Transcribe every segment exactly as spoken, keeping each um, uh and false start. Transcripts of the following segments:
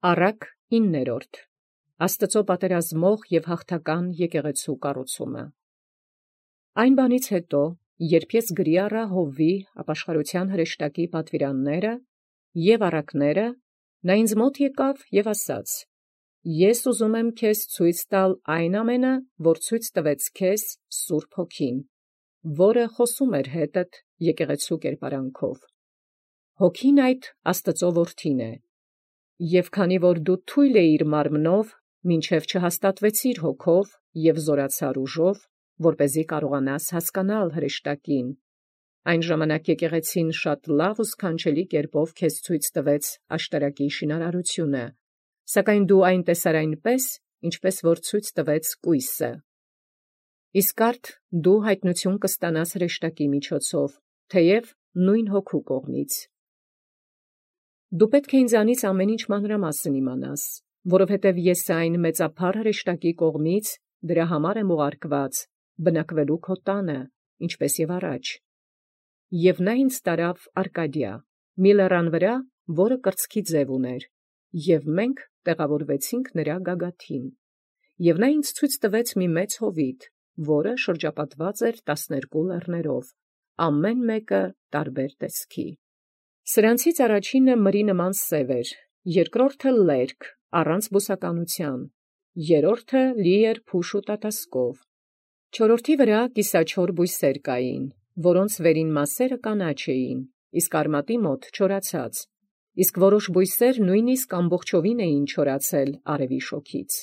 Առակ իններորդ. Աստծո պատերազմող և հաղթական եկեղեցու կառուցումը։ Այն բանից հետո, երբ ես գրի առա Հովվի ապաշխարության հրեշտակի պատվիրանները և առակները, նա ինձ մոտ եկավ և ասաց. Ես ուզում եմ քեզ ցույց տալ այն ամենը, որ ցույց տվեց քեզ Սուրբ Հոգին, որը խոսում էր հետդ եկեղեցու կերպարանքով։ Հոգին այդ Աստծո որդին է, և քանի որ դու թույլ էիր մարմնով, մինչև չհաստատվեցիր հոգով և զորացար ուժով, որպեսզի կարողանաս հասկանալ հրեշտակին, այն ժամանակ եկեղեցին շատ լավ ու սքանչելի կերպով քեզ ցույց տվեց աշտարակի շինարարությունը, սակայն դու այն տեսար այնպես, ինչպես որ ցույց տվեց կույսը։ Իսկ արդ դու հայտնություն կստանաս հրեշտակի միջոցով, թեև նույն հոգու կողմից։ Դու պետք է ինձանից ամեն ինչ մանրամասն իմանաս, որովհետև ես այն մեծափառ հրեշտակի կողմից դրա համար եմ ուղարկված, բնակվելու քո տանը, ինչպես և առաջ։ Եվ նա ինձ տարավ Արկադիա, մի լեռան վրա, որը կրծքի ձև ուներ, և մենք տեղավորվեցինք նրա գագաթին։ Եվ նա ինձ ցույց տվեց մի մեծ հովիտ, որը շրջապատված էր տասներկու լեռներով, ամեն մեկը տարբեր տեսքի։ Սրանցից առաջինը մրի նման սև էր, երկրորդը լերկ, առանց բուսականության, երրորդը լի էր փուշ ու տատասկով, չորրորդի վրա կիսաչոր բույսեր կային, որոնց վերին մասերը կանաչ էին, իսկ արմատի մոտ չորացած, իսկ որոշ բույսեր նույնիսկ ամբողջովին էին չորացել արևի շոգից։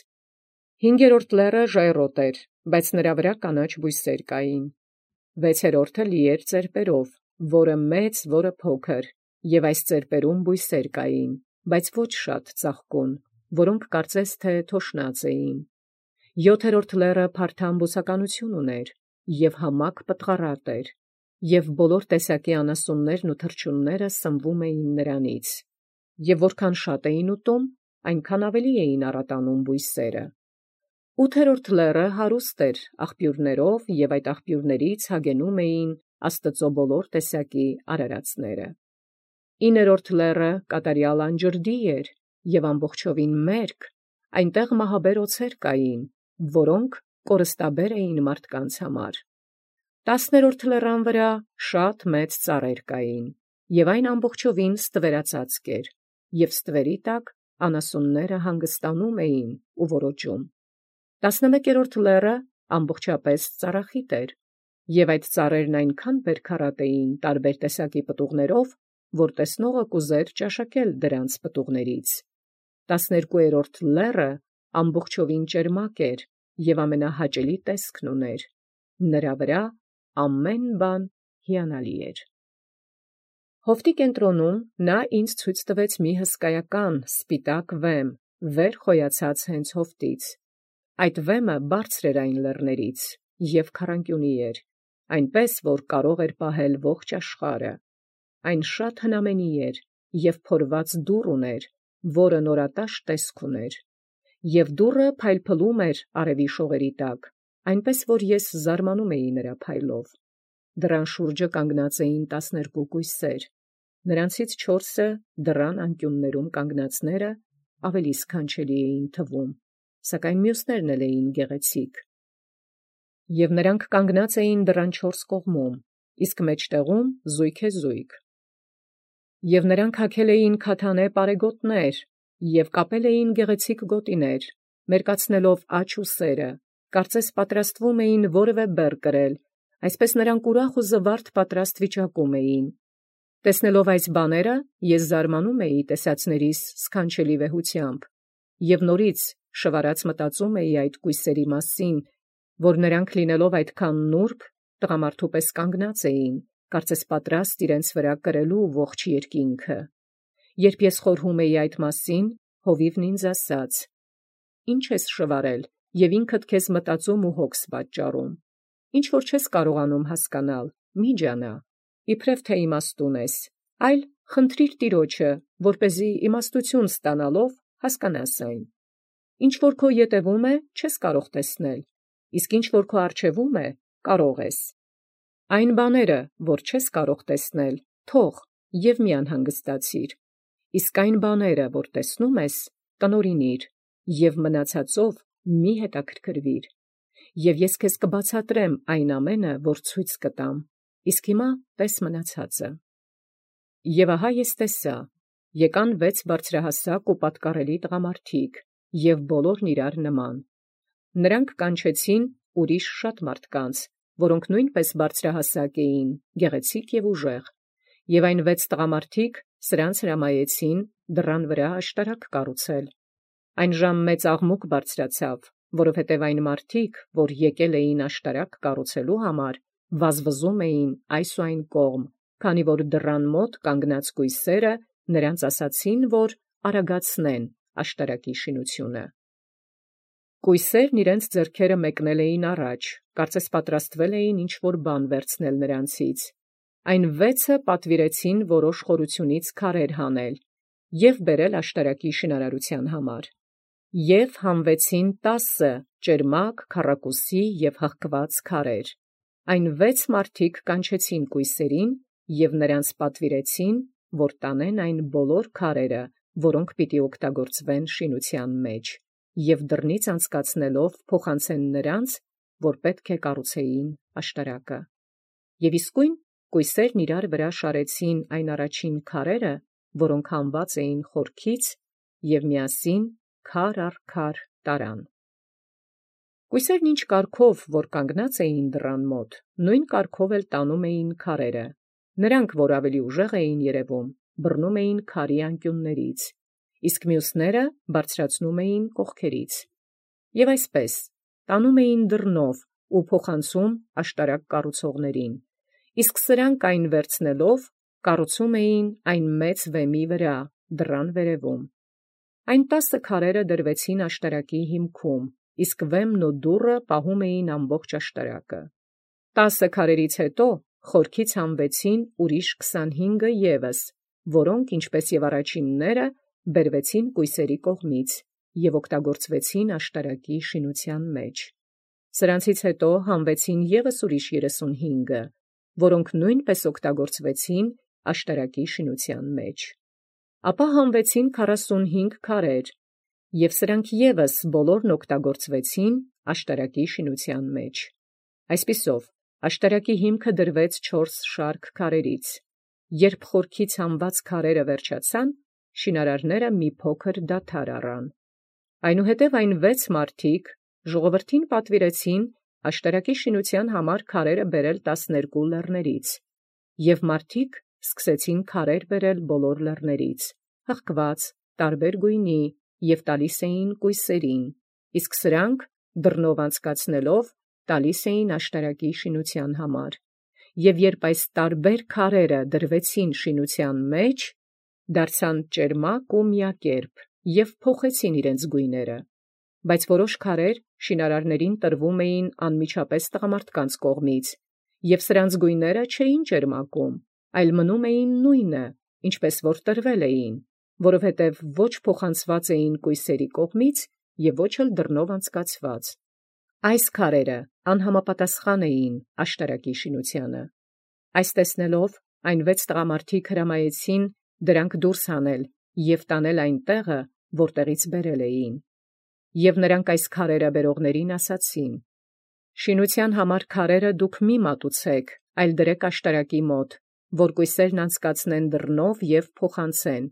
Հինգերորդ լեռը ժայռոտ էր, բայց նրա վրա կանաչ բույսեր կային։ Վեցերորդը լի էր ծեպերով, որը մեծ, որը փոքր, և այս ծեպերում բույսեր կային, բայց ոչ շատ ծաղկուն, որոնք կարծես թե թոշնած էին։ Յոթերորդ լեռը փարթամ բուսականություն ուներ, և համակ պտղառատ էր, և բոլոր տեսակի անասուններն ու թռչունները սնվում էին նրանից, և որքան շատ էին ուտում, այնքան ավելի էին առատանում բույսերը։ Ութերորդ լեռը հարուստ էր աղբյուրներով, և այդ աղբյուրներից հագենում էին Աստծո բոլոր տեսակի արարածները։ Իներորդ լեռը կատարյալ անջրդի էր և ամբողջովին մերկ, այնտեղ մահաբեր օձեր կային, որոնք կորստաբեր էին մարդկանց համար։ Տասներորդ լեռան վրա շատ մեծ ծառեր կային, և այն ամբողջովին ստվերածածկ էր, և ստվերի տակ անասունները հանգստանում էին ու ոռոգում։ Տասնմեկերորդ լեռը ամբողջապես ծառախիտ էր, և այդ ծառերն այնքան բերքառատ էին տարբեր տեսակի պտուղներով, որ տեսնողը կուզեր ճաշակել դրանց պտուղներից։ Տասներկուերորդ լեռը ամբողջովին ճերմակ էր և ամենահաճելի տեսքն ուներ, նրա վրա ամեն բան հիանալի էր։ Հովտի կենտրոնում նա ինձ ցույց տվեց մի հսկայական սպիտակ վեմ, վեր խոյացած հենց հովտից։ Այդ վեմը բարձր էր այն լեռներից և քառանկյունի էր, այնպես, որ կարող էր պահել ողջ աշխարհը։ Այն շատ հնամենի էր և փորված դուռ ուներ, որը նորատաշ տեսք ուներ, և դուռը փայլփլում էր արևի շողերի տակ, այնպես որ ես զարմանում էի նրա փայլով։ Դռան շուրջը կանգնած էին տասներկու կույսեր, նրանցից չորսը դռան անկյուններում կանգնածները ավելի սքանչելի էին թվում, սակայն մյուսներն էլ էին գեղեցիկ։ Եվ նրանք կանգնած էին դռան չորս կողմում, իսկ մեջտեղում զույգեզույգ։ Եվ նրանք հագել էին քաթանե պարեգոտներ և կապել էին գեղեցիկ գոտիներ, մերկացնելով աջ ու սերը, կարծես պատրաստվում էին որևէ բեռ կրել, այսպես նրանք ուրախ ու զվարթ պատրաստ վիճակում էին։ Տեսնելով այս բաները, ես զարմանում էի տեսածներիս սքանչելի վեհությամբ, և նորից շվարած մտածում էի այդ կույսերի մասին, որ նրանք լինելով այդքան նուրբ, տղամարդու պես կանգնած էին, կարծես պատրաստ իրենց վրա կրելու ողջ երկինքը։ Երբ ես խորհում էի այդ մասին, հովիվն ինձ ասաց. «Ի՞նչ ես շվարել և ինքդ քեզ մտածում ու հոգս պատճառում. ինչ որ չես կարողանում հասկանալ, մի ջանա, իբրև թե իմաստուն ես, այլ խնդրիր Տիրոջը, որպեսզի իմաստություն ստանալով հասկանաս այն։ Ինչ որ քո ետևում է, չես կարող տեսնել, իսկ ինչ որ քո առջևում է, կարող ես։ Այն բաները, որ չես կարող տեսնել, թող և մի անհանգստացիր, իսկ այն բաները, որ տեսնում ես, տնօրինիր, և մնացածով մի հետաքրքրվիր, և ես քեզ կբացատրեմ այն ամենը, որ ցույց կտամ, իսկ հիմա տես մնացածը։ Եւ ահա ես տեսա, եկան վեց բարձրահասակ ու պատկառելի տղամարդիկ, և բոլորն իրար նման. նրանք կանչեցին ուրիշ շատ մարդկանց, որոնք նույնպես բարձրահասակ էին, գեղեցիկ և ուժեղ, և այն վեց տղամարդիկ սրանց հրամայեցին դռան վրա աշտարակ կառուցել։ Այն ժամ մեծ աղմուկ բարձրացավ, որովհետև այն մարդիկ, որ եկել էին աշտարակ կառուցելու համար, վազվզում էին այս ու այն կողմ, քանի որ դռան մոտ կանգնած կույսերը նրանց ասացին, որ արագացնեն աշտարակի շինությունը։ Կույսերն իրենց ձեռքերը մեկնել էին առաջ, կարծես պատրաստվել էին ինչ-որ բան վերցնել նրանցից։ Այն վեցը պատվիրեցին որոշ խորությունից քարեր հանել և բերել աշտարակի շինարարության համար, և հանվեցին տասը ճերմակ, քառակուսի և հղկված քարեր։ Այն վեց մարդիկ կանչեցին կույսերին և նրանց պատվիրեցին, որ տանեն այն բոլոր քարերը, որոնք պիտի օգտագործվեն շինության մեջ, և դռնից անցկացնելով փոխանցեն նրանց, որ պետք է կառուցեին աշտարակը։ Եվ իսկույն կույսերն իրար վրա շարեցին այն առաջին քարերը, որոնք հանված էին խորքից, և միասին քար առ քար տարան։ Կույսերն ինչ կարգով, որ կանգնած էին դռան մոտ, նույն կարգով էլ տանում էին քարերը. նրանք, որ ավելի ուժեղ էին երևում, բռնում էին քարի անկյուններից, իսկ մյուսները բարձրացնում էին կողքերից։ Եվ այսպես տանում էին դռնով ու փոխանցում աշտարակ կառուցողներին, իսկ սրանք այն վերցնելով կառուցում էին այն մեծ վեմի վրա դռան վերևում։ Այն տասը քարերը դրվեցին աշտարակի հիմքում, իսկ վեմն ու դուռը պահում էին ամբողջ աշտարակը։ Տասը քարերից հետո խորքից հանվեցին ուրիշ քսանհինգը ևս, որոնք, ինչպես և առաջինները, բերվեցին կույսերի կողմից և օգտագործվեցին աշտարակի շինության մեջ։ Սրանցից հետո հանվեցին ևս ուրիշ երեսունհինգը, որոնք նույնպես օգտագործվեցին աշտարակի շինության մեջ։ Ապա հանվեցին քառասունհինգ քարեր, և սրանք ևս բոլորն օգտագործվեցին աշտարակի շինության մեջ։ Այսպիսով, աշտարակի հիմքը դրվեց չորս շարք քարերից։ Երբ խորքից հանված քարերը վերջացան, շինարարները մի փոքր դադար առան։ Այնուհետև այն վեց մարդիկ ժողովրդին պատվիրեցին աշտարակի շինության համար քարերը բերել տասներկու լեռներից, և մարդիկ սկսեցին քարեր բերել բոլոր լեռներից, հղկված, տարբեր գույնի, և տալիս էին կույսերին, իսկ սրանք դռնով անցկացնելով տալիս էին աշտարակի շինության համար։ Եվ երբ այս տարբեր քարերը դրվեցին շինության մեջ, դարձան ճերմակ ու միակերպ և փոխեցին իրենց գույները, բայց որոշ քարեր շինարարներին տրվում էին անմիջապես տղամարդկանց կողմից, և սրանց գույները չէին ճերմակում, այլ մնում էին նույնը, ինչպես որ տրվել էին, որովհետև ոչ փոխանցված էին կույսերի կողմից և ոչ էլ դռնով անցկացված։ Այս քարերը անհամապատասխան էին աշտարակի շինությանը։ Այս տեսնելով, այն վեց տղամարդիկ հրամայեցին դրանք դուրս հանել և տանել այն տեղը, որտեղից բերել էին։ Եվ նրանք այս քարերը բերողներին ասացին. «Շինության համար քարերը դուք մի մատուցեք, այլ դրեք աշտարակի մոտ, որ կույսերն անցկացնեն դռնով և փոխանցեն,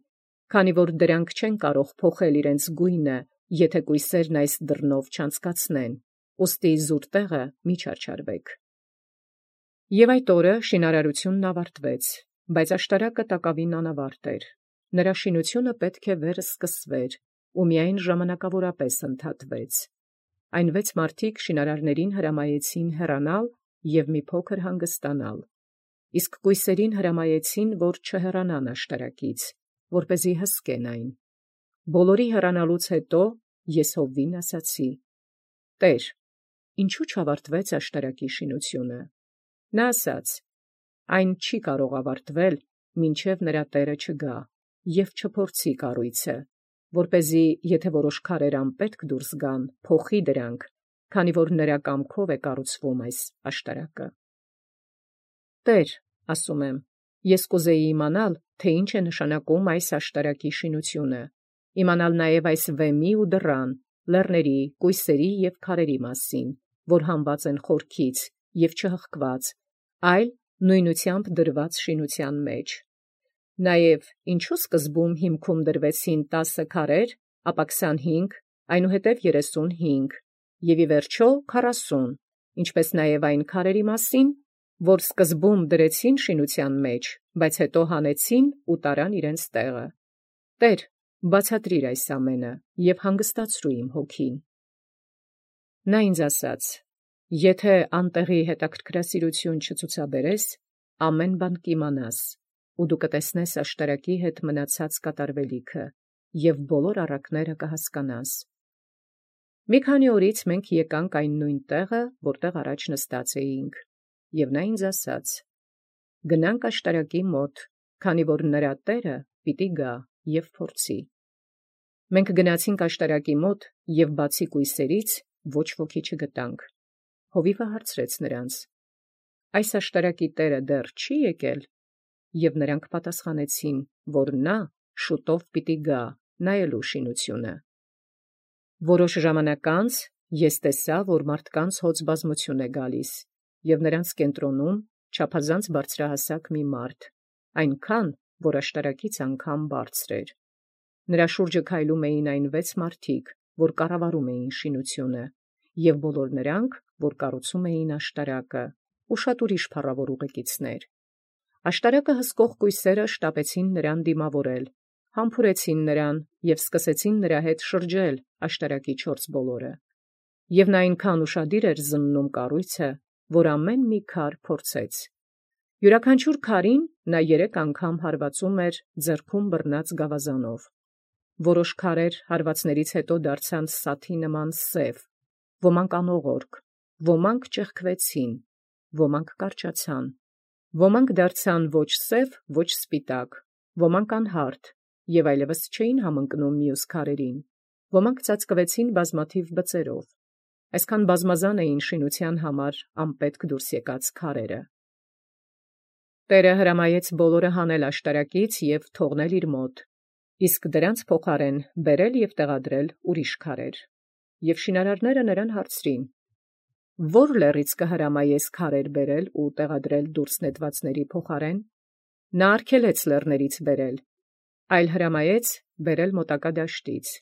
քանի որ դրանք չեն կարող փոխել իրենց գույնը, եթե կույսերն այս դռնով չանցկացնեն, ուստի զուր տեղը մի չարչարվեք»։ Եվ այդ օրը շինարարությունն ավարտվեց, բայց աշտարակը տակավին անավարտ էր. նրա շինությունը պետք է վերսկսվեր ու միայն ժամանակավորապես ընդհատվեց։ Այն վեց մարդիկ շինարարներին հրամայեցին հեռանալ և մի փոքր հանգստանալ, իսկ կույսերին հրամայեցին, որ չհեռանան աշտարակից, որպեսզի հսկեն այն։ Բոլորի հեռանալուց հետո ես Հովվին ասացի. «Տե՛ր, ինչու չավարտվեց աշտարակի շինությունը»։ Նա ասաց. «Այն չի կարող ավարտվել, մինչև նրա տերը չգա և չփորձի կառույցը, որպեսզի եթե որոշ քարեր անպետք դուրս գան, փոխի դրանք, քանի որ նրա կամքով է կառուցվում այս աշտարակը»։ «Տե՛ր, ասում եմ, ես կուզեի իմանալ, թե ինչ է նշանակում այս աշտարակի շինությունը, իմանալ նաև այս վեմի ու դռան, լեռների, կույսերի և քարերի մասին, որ հանված են խորքից և չհղկված, այլ նույնությամբ դրված շինության մեջ։ Նաև ինչու սկզբում հիմքում դրվեցին տասը քարեր, ապա քսանհինգ, այնուհետև երեսունհինգ, և ի վերջո քառասուն, ինչպես նաև այն քարերի մասին, որ սկզբում դրեցին շինության մեջ, բայց հետո հանեցին ու տարան իրենց տեղը։ Տեր, բացատրիր այս ամենը և հանգստացրու իմ հոգին։ Նա ինձ ասաց. «Եթե անտեղի հետաքրքրասիրություն չցուցաբերես, ամեն բան կիմանաս, ու դու կտեսնես աշտարակի հետ մնացած կատարվելիքը, և բոլոր առակները կհասկանաս»։ Մի քանի օրից մենք եկանք այն նույն տեղը, որտեղ առաջ նստած էինք, և նա ինձ ասաց. «Գնանք աշտարակի մոտ, քանի որ նրա տերը պիտի գա և փորձի»։ Մենք գնացինք աշտարակի մոտ և բացի կույսերից ոչ ոքի չգտանք։ Հովիվը հարցրեց նրանց. «Այս աշտարակի տերը դեռ չի եկել»։ Եվ նրանք պատասխանեցին, որ նա շուտով պիտի գա նայելու շինությունը։ Որոշ ժամանակ անց ես տեսա, որ մարդկանց հոծ բազմություն է գալիս, և նրանց կենտրոնում չափազանց բարձրահասակ մի մարդ, այնքան, որ աշտարակից անգամ բարձր էր։ Նրա շուրջը քայլում էին այն վեց մարդիկ, որ կառավարում էին շինությունը, և բոլոր նրանք, որ կառուցում էին աշտարակը, ու շատ ուրիշ փառավոր ուղեկիցներ։ Աշտարակը հսկող կույսերը շտապեցին նրան դիմավորել, համբուրեցին նրան և սկսեցին նրա հետ շրջել աշտարակի չորս բոլորը։ Եվ նա այնքան ուշադիր էր զննում կառույցը, որ ամեն մի քար փորձեց։ Յուրաքանչյուր քարին նա երեք անգամ հարվածում էր ձեռքում բռնած գավազանով։ Որոշ քարեր հարվածներից հետո դարձան սաթի նման սև, ոմանք անողորկ, ոմանք ճեղքվեցին, ոմանք կարճացան, ոմանք դարձան ոչ սև, ոչ սպիտակ, ոմանք անհարդ և այլևս չէին համընկնում մյուս քարերին, ոմանք ծածկվեցին բազմաթիվ բծերով։ Այսքան բազմազան էին շինության համար անպետք դուրս եկած քարերը։ Տերը հրամայեց բոլորը հանել աշտարակից և թողնել իր մոտ, իսկ դրանց փոխարեն բերել և տեղադրել ուրիշ քարեր։ Եվ շինարարները նրան հարցրին. «Ո՞ր լեռից կհրամայես քարեր բերել ու տեղադրել դուրս նետվածների փոխարեն»։ Նա արգելեց լեռներից բերել, այլ հրամայեց բերել մոտակա դաշտից։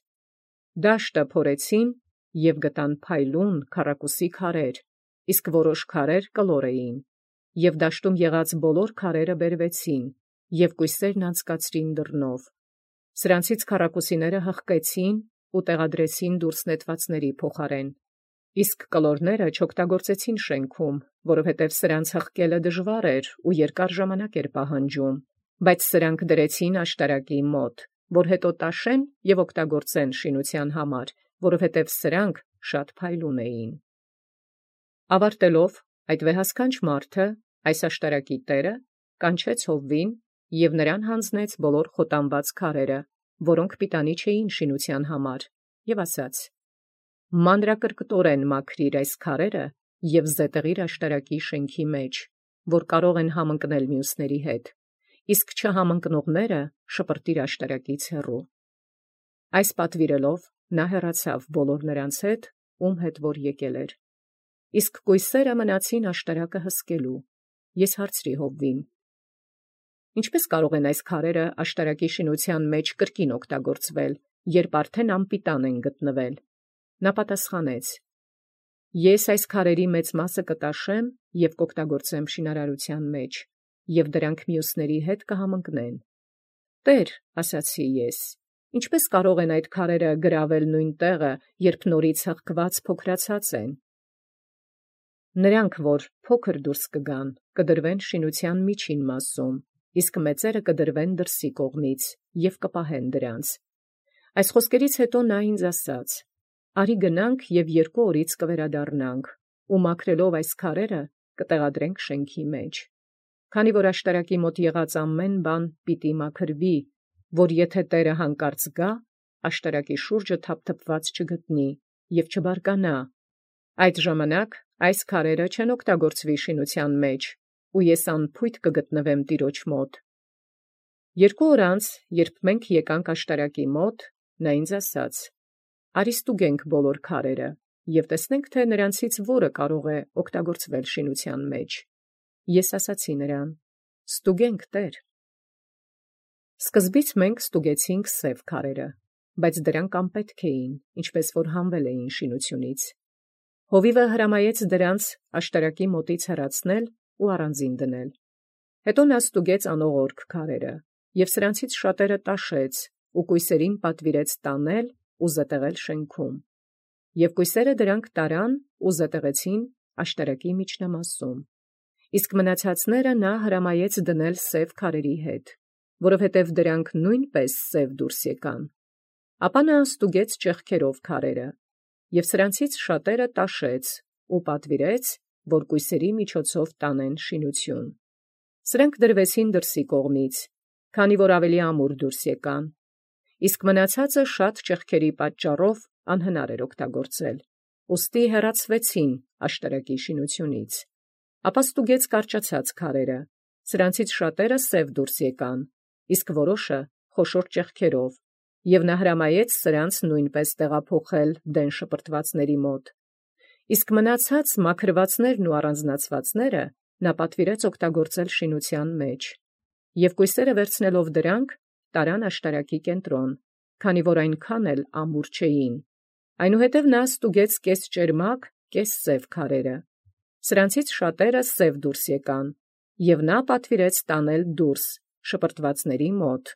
Դաշտը փորեցին և գտան փայլուն քառակուսի քարեր, իսկ որոշ քարեր կլոր էին, և դաշտում եղած բոլոր քարերը բերվեցին, և կույսերն անցկացրին դռնով։ Սրանցից քառակուսիները հղկեցին ու տեղադրեցին դուրս նետվածների փոխարեն, իսկ կլորները չօգտագործեցին շենքում, որովհետև սրանց հղկելը դժվար էր ու երկար ժամանակ էր պահանջում, բայց սրանք դրեցին աշտարակի մոտ, որ հետո տաշեն և օգտագործեն շինության համար, որովհետև սրանք շատ փայլուն էին։ Ավարտելով, այդ վեհասքանչ մարդը, այս աշտարակի տերը, կանչեց Հովվին և նրան հանձնեց բոլոր խոտանված քարերը, որոնք պիտանի չէին շինության համար, և ասաց. «Մանրակրկտորեն մաքրիր այս քարերը և զետեղիր աշտարակի շենքի մեջ, որ կարող են համընկնել մյուսների հետ, իսկ չհամընկնողները շպրտիր աշտարակից հեռու»։ Այս պատվիրելով նա հեռացավ բոլոր նրանց հետ, ում հետ որ եկել էր։ Իսկ կույսերը մնացին աշտարակը հսկելու։ Ես հարցրի Հովվին. «Ինչպե՞ս կարող են այս քարերը աշտարակի շինության մեջ կրկին օգտագործվել, երբ արդեն անպիտան են գտնվել»։ Նա պատասխանեց. «Ես այս քարերի մեծ մասը կտաշեմ և կօգտագործեմ շինարարության մեջ, և դրանք մյուսների հետ կհամընկնեն»։ «Տե՛ր, ֊ ասացի ես, ֊ ինչպե՞ս կարող են այդ քարերը գրավել նույն տեղը, երբ նորից հղկված փոքրացած են»։ «Նրանք, որ փոքր դուրս կգան, կդրվեն շինության միջին մասում, իսկ մեծերը կդրվեն դրսի կողմից և կպահեն դրանց»։ Այս խոսքերից հետո նա ինձ ասաց. «Արի գնանք և երկու օրից կվերադառնանք, ու մաքրելով այս քարերը կտեղադրենք շենքի մեջ։ Քանի որ աշտարակի մոտ եղած ամեն բան պիտի մաքրվի, որ եթե Տերը հանկարծ գա, աշտարակի շուրջը թափթփված չգտնի և չբարկանա, այդ ժամանակ այս քարերը չեն օգտագործվի շինության մեջ, ու ես անփույթ կգտնվեմ Տիրոջ մոտ»։ Երկու օր անց, երբ մենք եկանք աշտարակի մոտ, նա ինձ ասաց. «Արի ստուգենք բոլոր քարերը, և տեսնենք, թե նրանցից որը կարող է օգտագործվել շինության մեջ»։ Ես ասացի նրան. «Ստուգենք, Տեր»։ Սկզբից մենք ստուգեցինք սև քարերը, բայց դրանք անպետք էին, ինչպես որ հանվել էին շինությունից։ Հովիվը հրամայեց դրանց աշտարակի մոտից հեռացնել ու առանձին դնել։ Հետո նա ստուգեց անողորք քարերը և սրանցից շատերը տաշեց ու կույսերին պատվիրեց տանել ու զետեղել շենքում։ Եվ կույսերը դրանք տարան ու զետեղեցին աշտարակի միջնամասում։ Իսկ մնացածները նա հրամայեց դնել սև քարերի հետ, որովհետև դրանք նույնպես սև դուրս եկան։ Ապա նա ստուգեց ճեղքերով քարերը և սրանցից շատերը տաշեց ու պատվիրեց, որ կույսերի միջոցով տանեն շինություն։ Սրանք դրվեցին դրսի կողմից, քանի որ ավելի ամուր դուրս եկան, իսկ մնացածը շատ ճեղքերի պատճառով անհնար էր օգտագործել, ուստի հեռացվեցին աշտարակի շինությունից։ Ապա ստուգեց կարճացած քարերը, սրանցից շատերը սև դուրս եկան, իսկ որոշը խոշոր ճեղքերով, և նա հրամայեց սրանց նույնպես տեղափոխել դեն շպրտվածների մոտ։ Իսկ մնացած մաքրվածներն ու առանձնացվածները նա պատվիրեց օգտագործել շինության մեջ, և կույսերը վերցնելով դրանք տարան աշտարակի կենտրոն, քանի որ այնքան էլ ամուր չէին։ Այնուհետև նա ստուգեց կես ճերմակ, կես սև քարերը, սրանցից շատերը սև դուրս եկան, և նա պատվիրեց տանել դուրս շպրտվածների մոտ,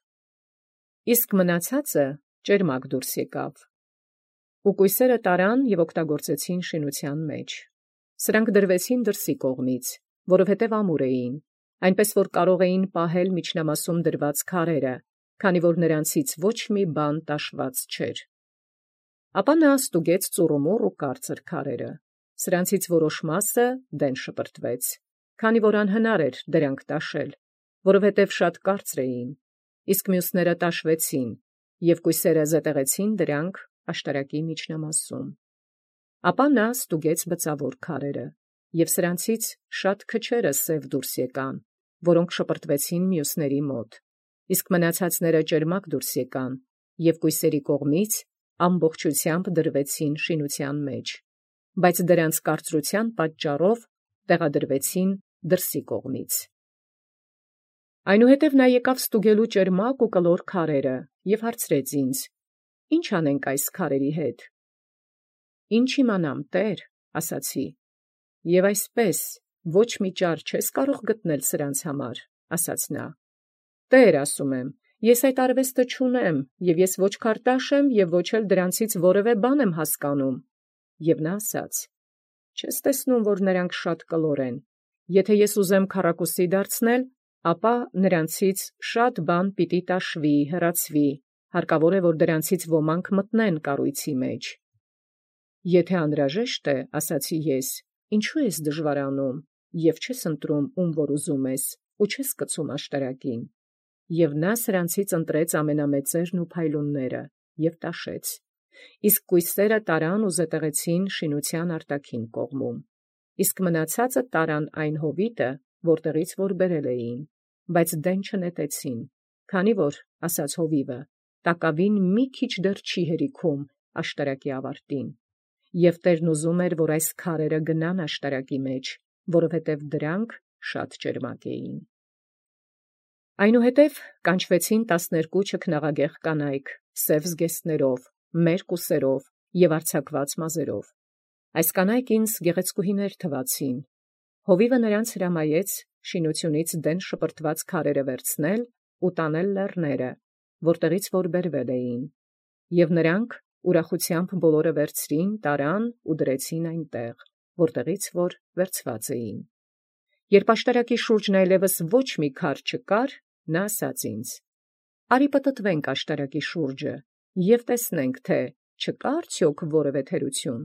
իսկ մնացածը ճերմակ դուրս եկավ։ Ու կույսերը տարան և օգտագործեցին շինության մեջ։ Սրանք դրվեցին դրսի կողմից, որովհետև ամուր էին, այնպես որ կարող էին պահել միջնամասում դրված քարերը, քանի որ նրանցից ոչ մի բան տաշված չէր։ Ապա նա ստուգեց ծուռումուռ ու կարծր քարերը, սրանցից որոշ մասը դեն շպրտվեց, քանի որ անհնար էր դրանք տաշել, որովհետև շատ կարծր էին, իսկ մյուսները տաշվեցին, և կույսերը զետեղեցին դրանք աշտարակի միջնամասում։ Ապա նա ստուգեց բծավոր քարերը, և սրանցից շատ քչերը սև դուրս եկան, որոնք շպրտվեցին մյուսների մոտ, իսկ մնացածները ճերմակ դուրս եկան, և կույսերի կողմից ամբողջությամբ դրվեցին շինության մեջ, բայց դրանց կարծրության պատճառով տեղադրվեցին դրսի կողմից։ Այնուհետև նա եկավ ստուգելու ճերմակ ու կլոր քարերը և հարցրեց ինձ. «Ի՞նչ անենք այս քարերի հետ»։ «Ի՞նչ իմանամ, Տեր», ասացի։ «Եվ այսպես ոչ մի ճար չես կարող գտնել սրանց համար», ասաց նա։ «Տեր, ասում եմ, ես այդ արվեստը չունեմ, և ես ոչ քարտաշ եմ և ոչ էլ դրանցից որևէ բան եմ հասկանում»։ Եվ նա ասաց. «Չես տեսնում, որ նրանք շատ կլոր են. եթե ես ուզեմ քառակուսի դարձնել, ապա նրանցից շատ բան պիտի տաշվի, հեռացվի, հարկավոր է, որ դրանցից ոմանք մտնեն կառույցի մեջ»։ «Եթե անհրաժեշտ է, ասացի ես, ինչու ես դժվարանում և չես ընտրում, ում որ ուզում ես, ու չես կցում աշտարակին»։ Եվ նա սրանցից ընտրեց ամենամեծերն ու փայլունները և տաշեց, իսկ կույսերը տարան ու զետեղեցին շինության արտաքին կողմում, իսկ մնացածը տարան այն հովիտը, որտեղից որ բերել էին, բայց դեն չնետեցին, քանի որ, ասաց հովիվը, տակավին մի քիչ դեռ չի հերիքում աշտարակի ավարտին, և Տերն ուզում էր, որ այս քարերը գնան աշտարակի մեջ, որովհետև դրանք շատ ճերմակ էին։ Այնուհետև կանչվեցին տասներկու չքնաղագեղ կանայք, սև զգեստներով, մերկ ուսերով և արձակված մազերով։ Այս կանայք ինձ գեղեցկուհիներ թվացին։ Հովիվը նրանց հրամայեց շինությունից դեն շպրտված քարերը վերցնել ու տանել լեռները, որտեղից որ բերվել էին, և նրանք ուրախությամբ բոլորը վերցրին, տարան ու դրեցին այնտեղ, որտեղից որ վերցված էին։ Երբ աշտարակի շուրջն այլևս ոչ մի քար չկար, նա ասաց ինձ. «Արի պտտվենք աշտարակի շուրջը և տեսնենք, թե չկա՞ արդյոք որևէ թերություն»։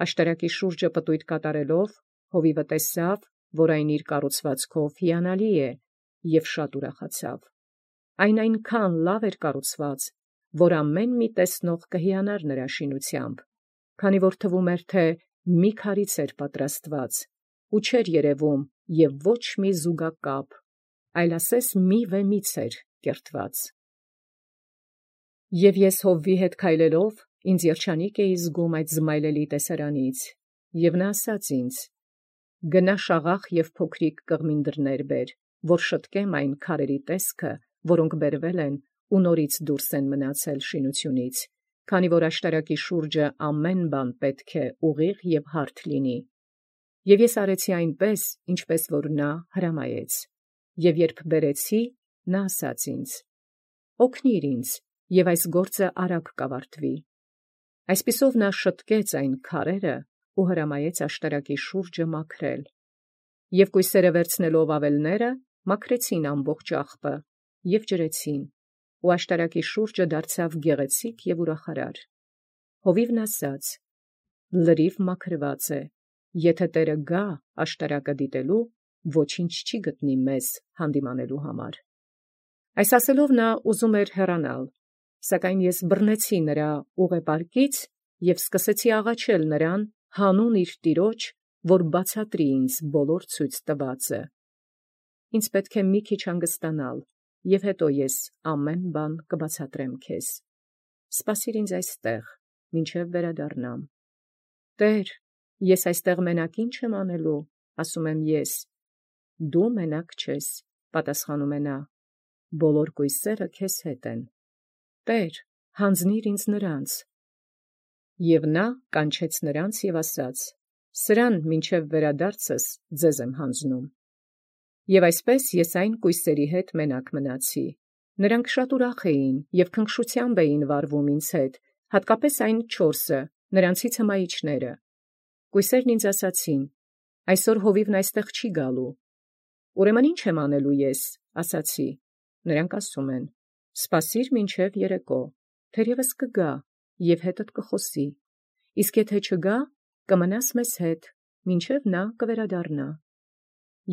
Աշտարակի շուրջը պտույտ կատարելով, հովիվը տեսավ, որ այն իր կառուցվածքով հիանալի է, և շատ ուրախացավ։ Այն այնքան լավ էր կառուցված, որ ամեն մի տեսնող կհիանար նրա շինությամբ, քանի որ թվում էր, թե մի քարից էր պատրաստված, ու չէր երևում և ոչ մի զուգակապ, այլ ասես մի վեմից էր կերտված։ Եւ ես հովվի հետ քայլելով ինձ երջանիկ էի զգում այդ զմայլելի տեսարանից, եւ նա ասաց ինձ. «Գնա շաղախ եւ փոքրիկ կղմինդրներ բեր, որ շտկեմ այն քարերի տեսքը, որոնք բերվել են ու նորից դուրս են մնացել շինությունից, քանի որ աշտարակի շուրջը ամեն բան պետք է ուղիղ եւ հարթ լինի»։ Եւ ես արեցի այնպես, ինչպես որ նա հրամայեց, եւ երբ բերեցի, նա ասաց ինձ. «Օգնիր ինձ, եւ այս գործը արագ կավարտվի»։ Այսպիսով նա շտկեց այն քարերը ու հրամայեց աշտարակի շուրջը մաքրել, եւ կույսերը վերցնելով ավելները մաքրեցին ամբողջ աղբը եւ ջրեցին, ու աշտարակի շուրջը դարձավ գեղեցիկ եւ ուրախարար։ Հովիվն ասաց. «Լրիվ մաքրված է, եթե Տերը գա աշտարակը դիտելու, ոչինչ չի գտնի մեզ հանդիմանելու համար»։ Այս ասելով նա ուզում էր հեռանալ, սակայն ես բռնեցի նրա ուղեպարկից եւ սկսեցի աղաչել նրան հանուն իր Տիրոջ, որ բացատրի ինձ բոլոր ցույց տվածը։ Ինձ պետք է մի քիչ հանգստանալ, եւ հետո ես ամեն բան կբացատրեմ քեզ։ Սպասիր ինձ այստեղ, մինչև վերադառնամ։ Տեր, ես այստեղ մենակ ինչ եմ անելու, ասում եմ ես։ Դու մենակ չես, պատասխանում է նա, բոլոր կույսերը քեզ հետ են։ Տեր, հանձնիր ինձ նրանց։ Եվ նա կանչեց նրանց եւ ասաց. «Սրան մինչև վերադարձս ձեզ եմ հանձնում»։ Եւ այսպես ես այն կույսերի հետ մենակ մնացի։ Նրանք շատ ուրախ էին եւ քնքշությամբ էին վարվում ինձ հետ, հատկապես այն չորսը, նրանցից հմայիչները։ Կույսերն ինձ ասացին. «Այսօր հովիվն այստեղ չի գալու»։ Ուրեմն ի՞նչ եմ անելու ես, ասացի։ Նրանք ասում են. «Սպասիր մինչև երեկո, թերևս կգա եւ հետդ կխոսի, իսկ եթե չգա, կմնաս մեզ հետ, մինչև նա կվերադառնա»։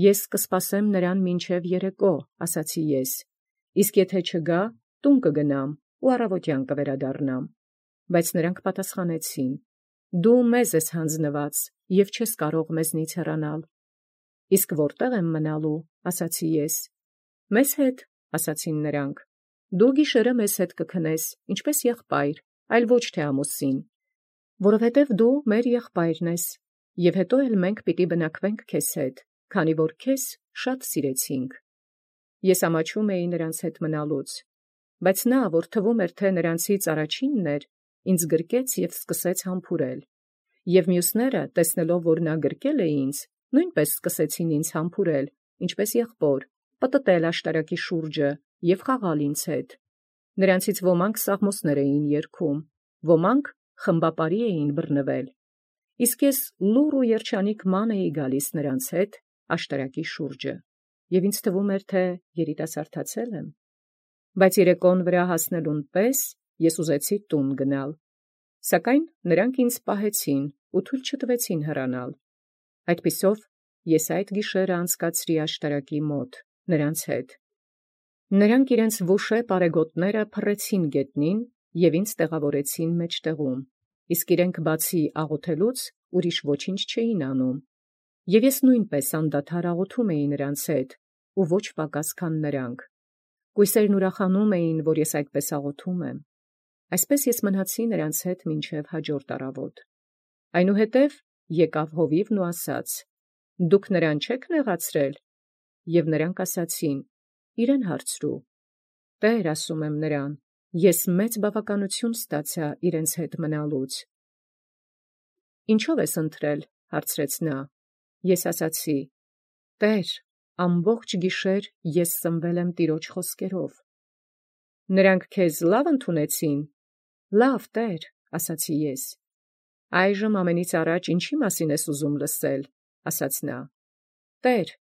Ես կսպասեմ նրան մինչև երեկո, ասացի ես, իսկ եթե չգա, տուն կգնամ ու առավոտյան կվերադառնամ։ Բայց նրանք պատասխանեցին. «Դու մեզ ես հանձնված եւ չես կարող մեզնից հեռանալ»։ Իսկ որտե՞ղ եմ մնալու, ասացի ես։ Մեզ հետ, ասացին նրանք։ Դու գիշերը մեզ հետ կքնես, ինչպես եղբայր, այլ ոչ թե ամուսին, որովհետև դու մեր եղբայրն ես, եւ հետո էլ մենք պիտի բնակվենք քեզ հետ, քանի որ քեզ շատ սիրեցինք։ Ես ամաչում էի նրանց հետ մնալուց, բայց նա, որ թվում էր, թե նրանցից առաջինն էր, ինձ գրկեց եւ սկսեց համբուրել, եւ մյուսները, տեսնելով, որ նա գրկել է ինձ, նույնպես սկսեցին ինձ համբուրել, ինչպես եղբոր, պտտել աշտարակի շուրջը եւ խաղալ ինձ հետ։ Նրանցից ոմանք սաղմոսներ էին երգում, ոմանք խմբապարի էին բռնվել, իսկ ես լուռ ու երջանիկ ման էի գալիս նրանց հետ աշտարակի շուրջը, եւ ինձ թվում էր, թե երիտասարդացել եմ։ Բայց երեկոն վրա հասնելուն պես ես ուզեցի տուն գնալ, սակայն նրանք ինձ պահեցին ու թույլ չտվեցին հեռանալ։ Այդպիսով ես այդ գիշերը անցկացրի աշտարակի մոտ նրանց հետ։ Նրանք իրենց վուշե պարեգոտները փռեցին գետնին եւ ինձ տեղավորեցին մեջտեղում, իսկ իրենք բացի աղոթելուց ուրիշ ոչինչ չէին անում։ Եվ ես նույնպես անդադար աղոթում էի նրանց հետ, ու ոչ պակաս քան նրանք։ Կույսերն ուրախանում էին, որ ես այդպես աղոթում եմ։ Այսպես ես մնացի նրանց հետ մինչև հաջորդ առավոտ։ Այնուհետև եկավ հովիվն ու ասաց. «Դուք նրան չեք նեղացրել»։ Եվ նրանք ասացին. «Իրեն հարցրու»։ Տեր, ասում եմ նրան, ես մեծ բավականություն ստացա իրենց հետ մնալուց։ Ինչո՞վ ես ընտրել, հարցրեց նա։ Ես ասացի. Տեր, ամբողջ գիշեր ես սնվել եմ Տիրոջ խոսքերով։ Նրանք քեզ լավ ընդունեցին։ Լավ, Տեր, ասացի ես։ Այժմ ամենից առաջ ինչի մասին ես ուզում լսել, ասաց նա։ Տեր,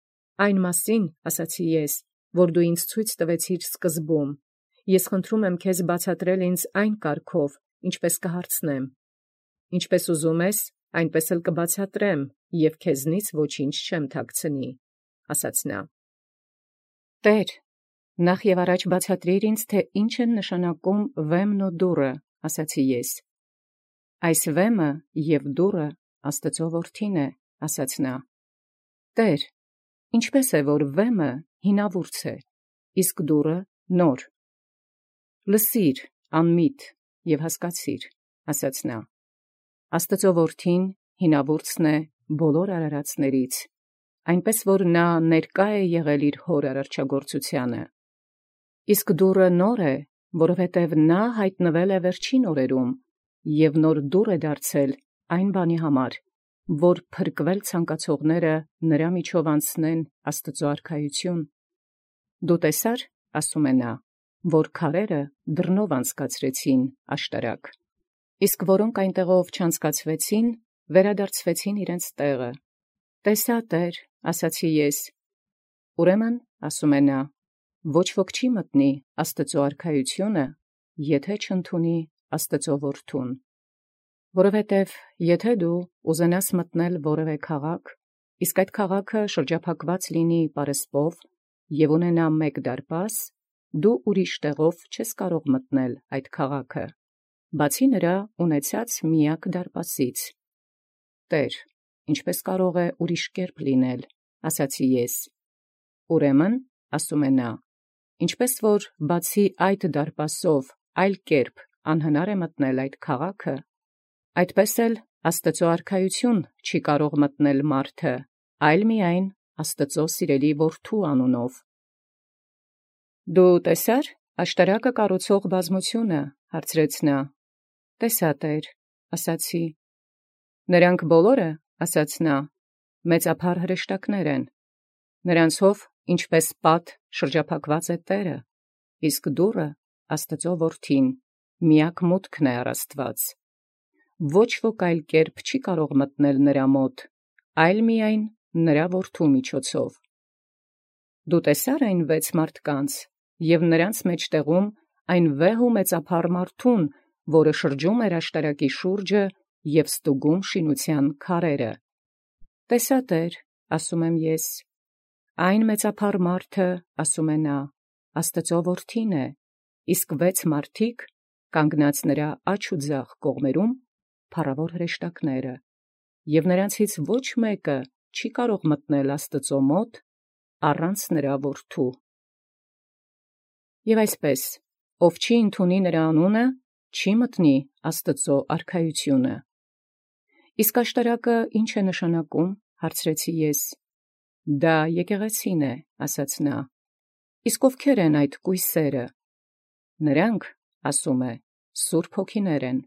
այն մասին, ասացի ես, որ դու ինձ ցույց տվեցիր սկզբում։ Ես խնդրում եմ քեզ բացատրել ինձ այն կարգով, ինչպես կհարցնեմ։ Ինչպես ուզում ես, այնպես էլ կբացատրեմ, և քեզնից ոչինչ չեմ թաքցնի, ասաց նա։ Տեր, նախ եւ առաջ բացատրիր ինձ, թե ինչ են նշանակում վեմն ու դուռը, ասացի ես։ Այս վեմը եւ դուռը Աստծո որդին է, ասաց նա։ Տեր, ինչպես է, որ վեմը հինավուրց է, իսկ դուռը նոր։ Լսիր, անմիտ և հասկացիր, ասաց նա. Աստծո որդին հինավուրցն է բոլոր արարածներից, այնպես որ նա ներկա է եղել իր հոր արարչագործությանը. իսկ դուռը նոր է, որովհետև նա հայտնվել է վերջին օրերում, և նոր դուռ է դարձել այն բանի համար, որ փրկվել ցանկացողները նրա միջով անցնեն Աստծո արքայություն։ Դու տեսա՞ր, ասում է նա, որ քարերը դռնով անցկացրեցին աշտարակ, իսկ որոնք այնտեղով չանցկացվեցին, վերադարձվեցին իրենց տեղը։ Տեսա, Տեր, ասացի ես։ Ուրեմն, ասում է նա, ոչ ոք չի մտնի Աստծո արքայությունը, եթե չընդունի Աստծո որդուն։ Որովհետև եթե դու ուզենաս մտնել որևէ քաղաք, իսկ այդ քաղաքը շրջափակված լինի պարսպով և ունենա մեկ դարպաս, դու ուրիշ տեղով չես կարող մտնել այդ քաղաքը, բացի նրա ունեցած միակ դարպասից։ Տեր, ինչպե՞ս կարող է ուրիշ կերպ լինել, ասացի ես։ Ուրեմն, ասում է նա, ինչպես որ բացի այդ դարպասով այլ կերպ անհնար է մտնել այդ քաղաքը, այդպես էլ Աստծո արքայություն չի կարող մտնել մարդը, այլ միայն Աստծո սիրելի որդու անունով։ Դու տեսա՞ր աշտարակը կառուցող բազմությունը, հարցրեց նա։ Տեսա, Տեր, ասացի։ Նրանք բոլորը, ասաց նա, մեծափառ հրեշտակներ են. նրանցով ինչպես պատ շրջափակված է Տերը, իսկ դուռը Աստծո որդին, միակ մուտքն է առ Աստված։ Ոչ ոք այլ կերպ չի կարող մտնել նրա մոտ, այլ միայն նրա որդու միջոցով։ Դու տեսա՞ր այն վեց մարդկանց և նրանց մեջտեղում այն վեհ ու մեծափառ մարդուն, որը շրջում էր աշտարակի շուրջը և ստուգում շինության քարերը։ Տեսա, Տեր, ասում եմ ես։ Այն մեծափառ մարդը, ասում է նա, Աստծո որդին է, իսկ վեց մարդիկ կանգնած նրա աջ ու ձախ կողմերում, փառավոր հրեշտակները, և նրանցից ոչ մեկը չի կարող մտնել Աստծո մոտ առանց նրա որդու։ Եւ այսպես, ով չի ընդունի նրա անունը, չի մտնի Աստծո արքայությունը։ Իսկ աշտարակը ի՞նչ է նշանակում, հարցրեցի ես։ Դա եկեղեցին է, ասաց նա։ Իսկ ովքեր են այդ կույսերը։ Նրանք, ասում է, սուրբ հոգիներ են։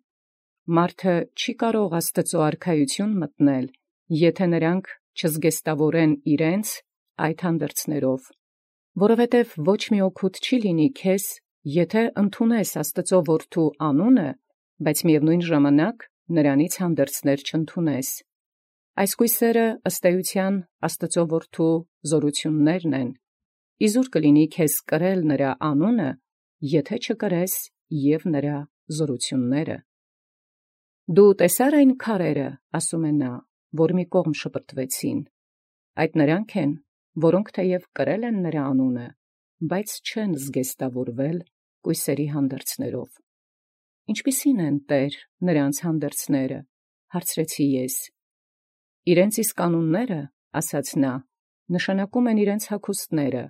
Մարդը չի կարող Աստծո արքայություն մտնել, եթե նրանք չզգեստավորեն իրենց այդ հանդերձներով, որովհետև ոչ մի օգուտ չի լինի քեզ, եթե ընդունես Աստծո որդու անունը, բայց միևնույն ժամանակ նրանից հանդերձներ չընդունես։ Այս կույսերը ըստ էության Աստծո որդու զորություններն են, իզուր կլինի քեզ կրել նրա անունը, եթե չկրես և նրա զորությունները։ Դու տեսա՞ր այն քարերը, ասում է նա, որ մի կողմ շպրտվեցին։ Այդ նրանք են, որոնք թեև կրել են նրա անունը, բայց չեն զգեստավորվել կույսերի հանդերձներով։ Ինչպիսի՞ն են, Տեր, նրանց հանդերձները, հարցրեցի ես։ Իրենց իսկ անունները, ասաց նա, նշանակում են իրենց հագուստները։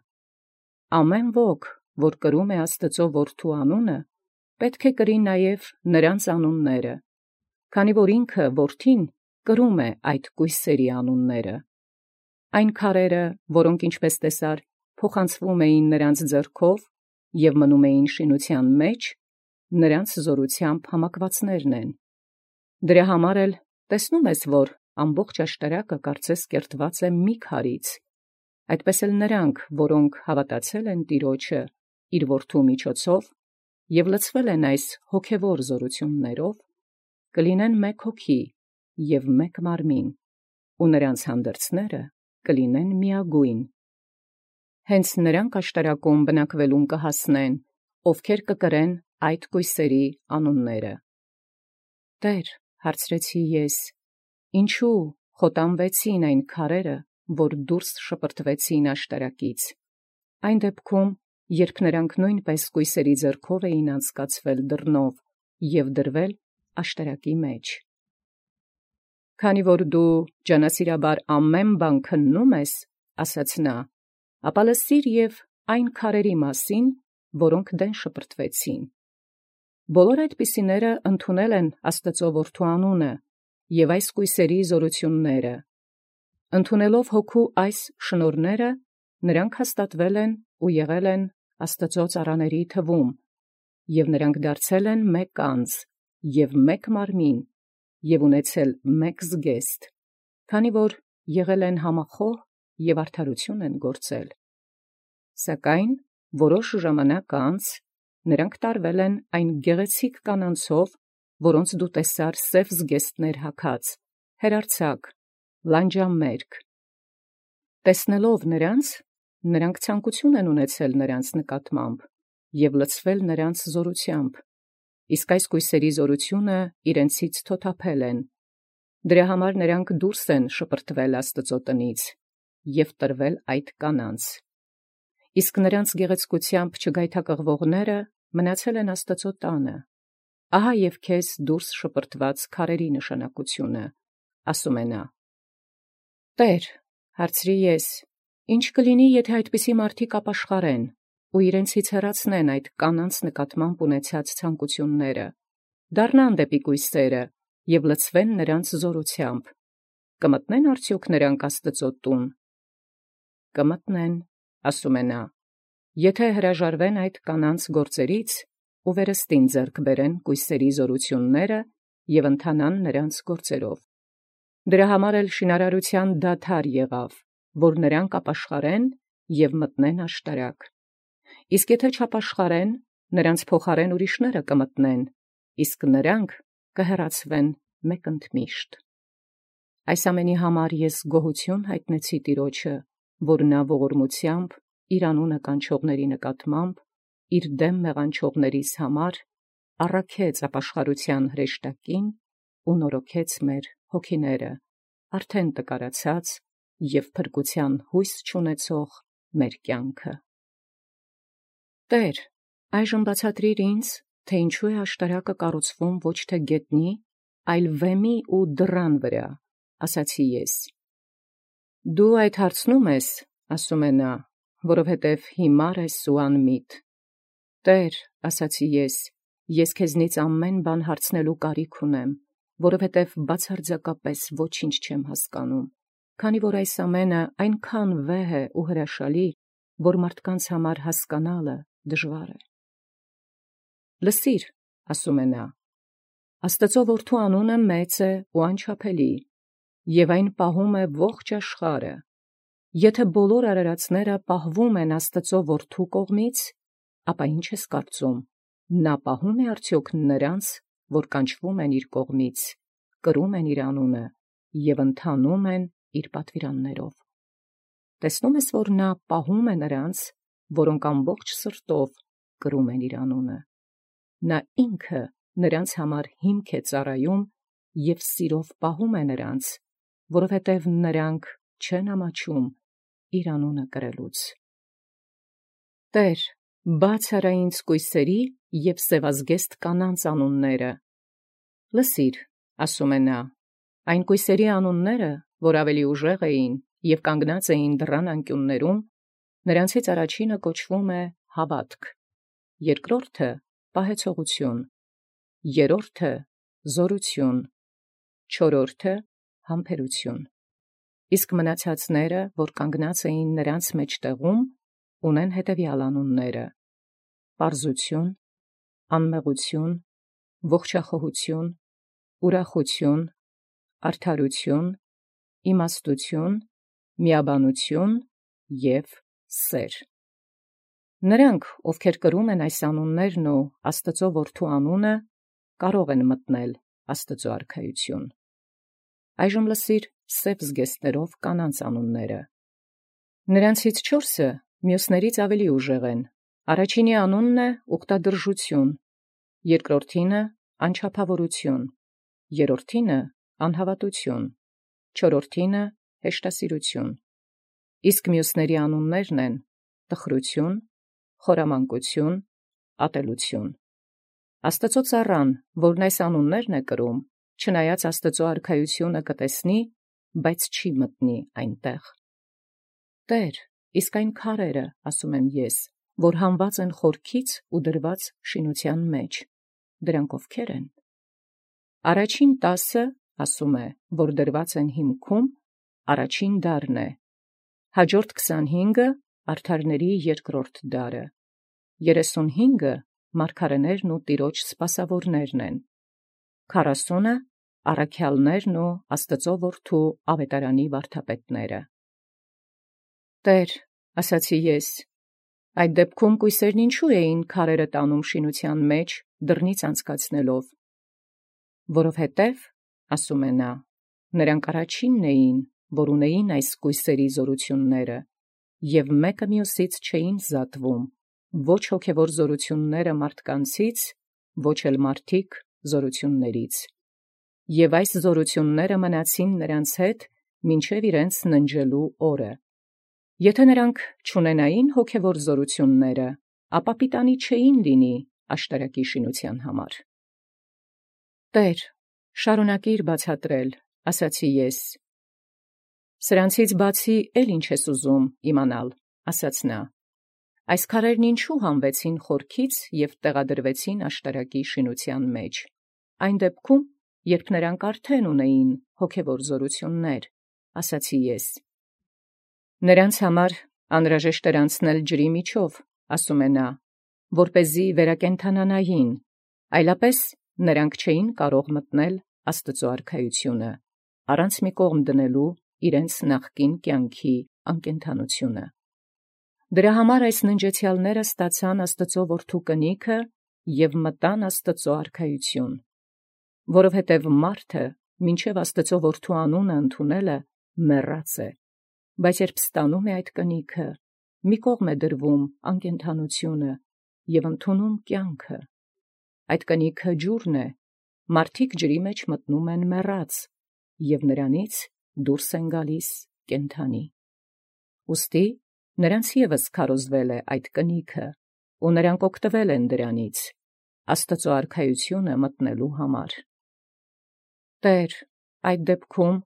Ամեն ոք, որ կրում է Աստծո որդու անունը, պետք է կրի նաև նրանց անունները, քանի որ ինքը որդին կրում է այդ կույսերի անունները։ Այն քարերը, որոնք ինչպես տեսար, փոխանցվում էին նրանց ձեռքով և մնում էին շինության մեջ, նրանց զորությամբ համակվածներն են։ Դրա համար էլ տեսնում ես, որ ամբողջ աշտարակը կարծես կերտված է մի քարից, այդպես էլ նրանք, որոնք հավատացել են Տիրոջը իր որդու միջոցով և լցվել են այս հոգևոր զորություններով, կլինեն մեկ հոգի և մեկ մարմին, ու նրանց հանդերձները կլինեն միագույն։ Հենց նրանք աշտարակում բնակվելուն կհասնեն, ովքեր կկրեն այդ կույսերի անունները։ Տեր, հարցրեցի ես, ինչու խոտանվեցին այն քարերը, որ դուրս շպրտվեցին աշտարակից, այն դեպքում, երբ նրանք նույնպես կույսերի ձեռքով էին անցկացվել դռնով և դրվել աշտարակի մեջ։ Քանի որ դու ջանասիրաբար ամեն բան քննում ես, ասաց նա, ապա լսիր և այն քարերի մասին, որոնք դեն շպրտվեցին։ Բոլոր այդպիսիները ընդունել են Աստուծոյ Որդու անունը և այս կույսերի զորութիւնները։ Ընդունելով հոգու այս շնորհները, նրանք հաստատվել են ու եղել են Աստուծոյ ծառաների թվում, և նրանք դարձել են մեկ անձ և մեկ մարմին, և ունեցել մեկ զգեստ, քանի որ եղել են համախոհ և արդարութիւն են գործել։ Սակայն որոշ ժամանակ անց նրանք տարվել են այն գեղեցիկ կանանցով, որոնց դու տեսար սև զգեստներ հագած, հերարձակ, լանջամերկ։ Տեսնելով նրանց, նրանք ցանկութիւն են ունեցել նրանց նկատմամբ և լցվել նրանց զորութեամբ, իսկ այս կույսերի զորութիւնը իրենցից թոթափել են։ Դրա համար նրանք դուրս են շպրտվել Աստուծոյ տնից և տրվել այդ կանանց։ Իսկ նրանց գեղեցկութեամբ չգայթակղվողները մնացել են Աստուծոյ տանը։ Ահա և քեզ դուրս շպրտված քարերի նշանակութիւնը, ասում է նա։ «Տէր, հարցրի ես, ի՞նչ կլինի, եթէ այդպիսի մարդիկ ապաշխարեն ու իրենցից հեռացնեն այդ կանանց նկատմամբ ունեցած ցանկութիւնները, դառնան դեպի կույսերը և լցվեն նրանց զորութեամբ. կմտնե՞ն արդեոք նրանք Աստուծոյ տուն»։ «Կմտնեն», ասում է նա, «եթէ հրաժարվեն այդ կանանց գործերից ու վերստին ձեռք բերեն կույսերի զորութիւնները և ընթանան նրանց գործերով։ Դրա համար էլ շինարարութեան դադար եղավ, որ նրանք ապաշխարեն և մտնեն աշտարակ։ Իսկ եթէ չապաշխարեն, նրանց փոխարէն ուրիշները կմտնեն, իսկ նրանք կհեռացվեն մեկընդմիշտ։ Այս ամենի համար ես գոհութիւն յայտնեցի Տեառնէ, որ նա ողորմութեամբ իր անունը կանչողացն նկատմամբ իր դէմ մեղանչողացն համար առաքեց ապաշխարութեան հրեշտակին ու նորոգեց մեր հոգիները, արդեն տկարացած և փրկութեան յույս չունեցող մեր կյանքը։ «Տէր, այժմ բացատրիր ինձ, թէ ինչու է աշտարակը կառուցվում ոչ թէ գետնի, այլ վէմի ու դռան վրա, ասացի ես։ Դու այդ հարցնո՞ւմ ես, ասում է նա, որովհետև հիմար ես ու անմիտ։ Տէր, ասացի ես, ես քեզնից ամեն բան հարցնելու կարիք ունեմ, որովհետև բացարձակապէս ոչինչ չեմ հասկանում, քանի որ այս ամենը այնքան վեհ է ու հրաշալի, որ մարդկանց համար հասկանալը դժուար է։ Լսիր, ասում է նա, Աստուծոյ Որդու անունը մեծ է ու անչափելի, և այն պահում է ողջ աշխարհը։ Եթէ բոլոր արարածները պահվում են Աստուծոյ Որդու կողմից, ապա ի՞նչ ես կարծում, նա պահում է արդեոք նրանց, որ կանչվում են իր կողմից, կրում են իր անունը և ընթանում են իր պատվիրաններով։ Տեսնո՞ւմ ես, որ նա պահում է նրանց, որոնք ամբողջ սրտով կրում են իր անունը։ Նա ինքը նրանց համար հիմք է ծառայում և սիրով պահում է նրանց, որովհետև նրանք չեն ամաչում իր անունը կրելուց։ Տէր, բաց արա ինձ կույսերի և սևազգեստ կանանց անունները։ Լսիր, ասում է նա, այն կույսերի անունները, որ ավելի ուժեղ էին և կանգնած էին դռան անկիւններում, նրանցից առաջինը կոչվում է Հաւատք, երկրորդը Պահեցողութիւն, երրորդը Զօրութիւն, չորրորդը Համբերութիւն, իսկ մնացածները, որ կանգնած էին նրանց մեջտեղում, ունեն հետևյալ անունները. Պարզութիւն, անմեղութիւն, ողջախոհութիւն, ուրախութիւն, արդարութիւն, իմաստութիւն, միաբանութիւն և սեր։ Նրանք, ովքեր կրում են այս անուններն ու Աստուծոյ Որդու անունը, կարող են մտնել Աստուծոյ արքայութիւն։ Այժմ լսիր սև զգեստներով կանանց անունները։ Նրանցից չորսը մյուսներից ավելի ուժեղ են. առաջինի անունն է Ուխտադրժութիւն, երկրորդինը Անչափավորութիւն, երրորդինը Անհաւատութիւն, չորրորդինը Հեշտասիրութիւն, իսկ մյուսների անուններն են Տխրութիւն, Խորամանկութիւն, Ատելութիւն։ Աստուծոյ ծառան, որն այս անուններն է կրում, չնայած Աստուծոյ արքայութիւնը կտեսնի, բայց չի մտնի այնտեղ։ Տէր, իսկ այն քարերը, ասում եմ ես, որ հանված են խորքից ու դրված շինութեան մեջ, դրանք ովքեր են։ Առաջին տասը, ասում է, որ դրված են հիմքում, առաջին դարն է, հաջորդ քսանհինգը արդարների երկրորդ դարը, երեսունհինգը մարգարեներն ու տիրոջ սպասավորներն են, քառասունը առաքյալներն ու Աստծո որդու ավետարանի վարդապետները։ Տեր, ասացի ես, այդ դեպքում կույսերն ինչու էին քարերը տանում շինության մեջ դռնից անցկացնելով, որովհետև, ասում է նա, նրանք առաջինն էին, որ ունեին այս կույսերի զորությունները, և մեկը մյուսից չէին զատվում, ոչ հոգևոր զորությունները մարդկանցից, ոչ էլ մարդիկ զորություններից, և այս զորությունները մնացին նրանց հետ մինչև իրենց ննջելու օրը։ Եթե նրանք չունենային հոգևոր զորությունները, ապա պիտանի չէին լինի աշտարակի շինության համար։ Տեր, շարունակիր բացատրել, ասացի ես։ Սրանցից բացի էլ ինչ ես ուզում իմանալ, ասաց նա։ Այս քարերն ինչու հանվեցին խորքից և տեղադրվեցին աշտարակի շինության մեջ, այն դեպքում, երբ նրանք արդեն ունեին հոգևոր զորություններ, ասացի ես։ Նրանց համար անհրաժեշտ էր անցնել ջրի միջով, ասում է նա, որպեսզի վերակենդանանային, այլապես նրանք չէին կարող մտնել Աստծո արքայությունը, առանց մի կողմ դնելու իրենց նախկին կյանքի անկենդանությունը։ Դրա համար այս ննջեցյալները ստացան Աստծո որդու կնիքը և մտան Աստծո արքայություն, որովհետև մարդը մինչև Աստծո որդու անունը ընդունելը մեռած է, բայց երբ ստանում է այդ կնիքը, մի կողմ է դրվում անկենդանությունը և ընդունում կյանքը։ Այդ կնիքը ջուրն է, մարդիկ ջրի մեջ մտնում են մեռած, և նրանից դուրս են գալիս կենդանի։ Ուստի նրանց ևս քարոզվել է այդ կնիքը, ու նրանք օգտվել են դրանից, Աստծո արքայությունը մտնելու համար։ Տեր, այդ դեպքում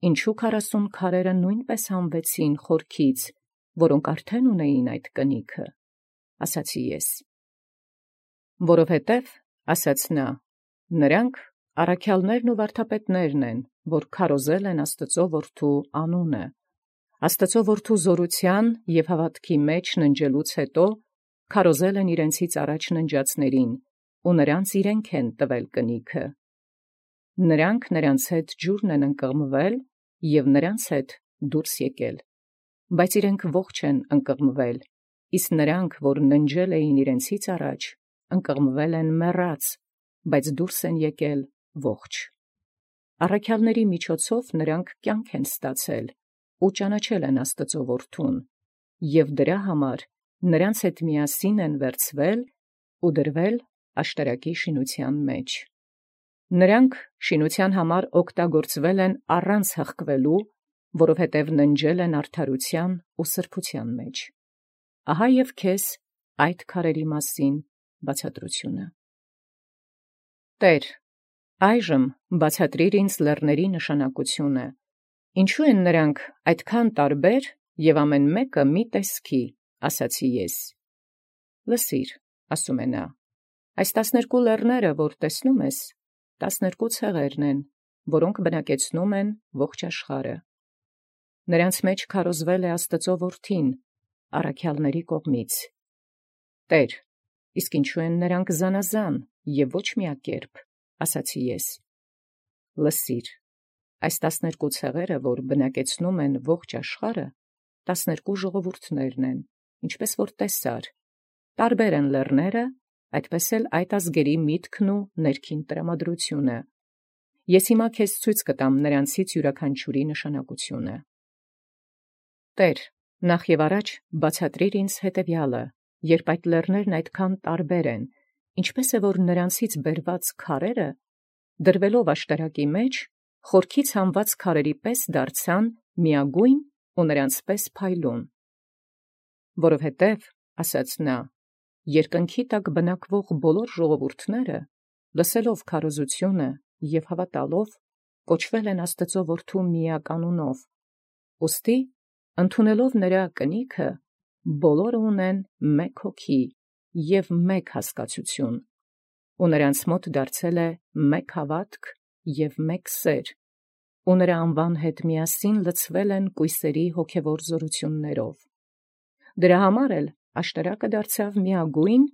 ինչու քառասուն քարերը նույնպես հանվեցին խորքից, որոնք արդեն ունեին այդ կնիքը, ասացի ես։ Որովհետև, ասաց նա, նրանք առաքյալներն ու վարդապետներն են, որ քարոզել են Աստծո որդու անունը, Աստծո որդու զորության և հավատքի մեջ ննջելուց հետո քարոզել են իրենցից առաջ ննջածներին, ու նրանց իրենք են տվել կնիքը։ Նրանք նրանց հետ ջուրն են ընկղմվել և նրանց հետ դուրս եկել, բայց իրենք ողջ են ընկղմվել, իսկ նրանք, որ ննջել էին իրենցից առաջ, ընկղմվել են մեռած, բայց դուրս են եկել ողջ։ Առաքյալների միջոցով նրանք կյանք են ստացել ու ճանաչել են Աստծո որդուն, և դրա համար նրանց հետ միասին են վերցվել ու դրվել աշտարակի շինության մեջ։ Նրանք շինության համար օգտագործվել են առանց հղկվելու, որովհետև ննջել են արդարության ու սրբության մեջ։ Ահա և քեզ այդ քարերի մասին բացատրությունը։ Տեր, այժմ բացատրիր ինձ լեռների նշանակությունը, ինչու են նրանք այդքան տարբեր և ամեն մեկը մի տեսքի, ասացի ես։ Լսիր, ասում է նա, այս տասներկու լեռները, որ տեսնում ես, տասներկու ցեղերն են, որոնք բնակեցնում են ողջ աշխարհը։ Նրանց մեջ քարոզվել է Աստծո որդին առաքյալների կողմից։ Տեր, իսկ ինչու են նրանք զանազան և ոչ միակերպ, ասացի ես։ Լսիր, այս տասներկու ցեղերը, որ բնակեցնում են ողջ աշխարհը, տասներկու ժողովուրդներն են, ինչպես որ տեսար, տարբեր են լեռները, այդպես էլ այդ ազգերի միտքն ու ներքին տրամադրությունը։ Ես հիմա քեզ ցույց կտամ նրանցից յուրաքանչյուրի նշանակությունը։ Տեր, նախ և առաջ բացատրիր ինձ հետևյալը, երբ այդ լեռներն այդքան տարբեր են, ինչպես է որ նրանցից բերված քարերը, դրվելով աշտարակի մեջ, խորքից հանված քարերի պես դարձան միագույն ու նրանց պես փայլուն։ Որովհետև, ասաց նա, երկնքի տակ բնակվող բոլոր ժողովուրդները, լսելով քարոզությունը և հավատալով, կոչվել են Աստծո որդու միականունով, ուստի, ընդունելով նրա կնիքը, բոլորը ունեն մեկ հոգի և մեկ հասկացություն, ու նրանց մոտ դարձել է մեկ հաւատք և մեկ սեր, ու նրա անուան հետ միասին լցվել են կույսերի հոգևոր զօրութիւններով։ Դրա համար էլ աշտարակը դարձավ միագոյն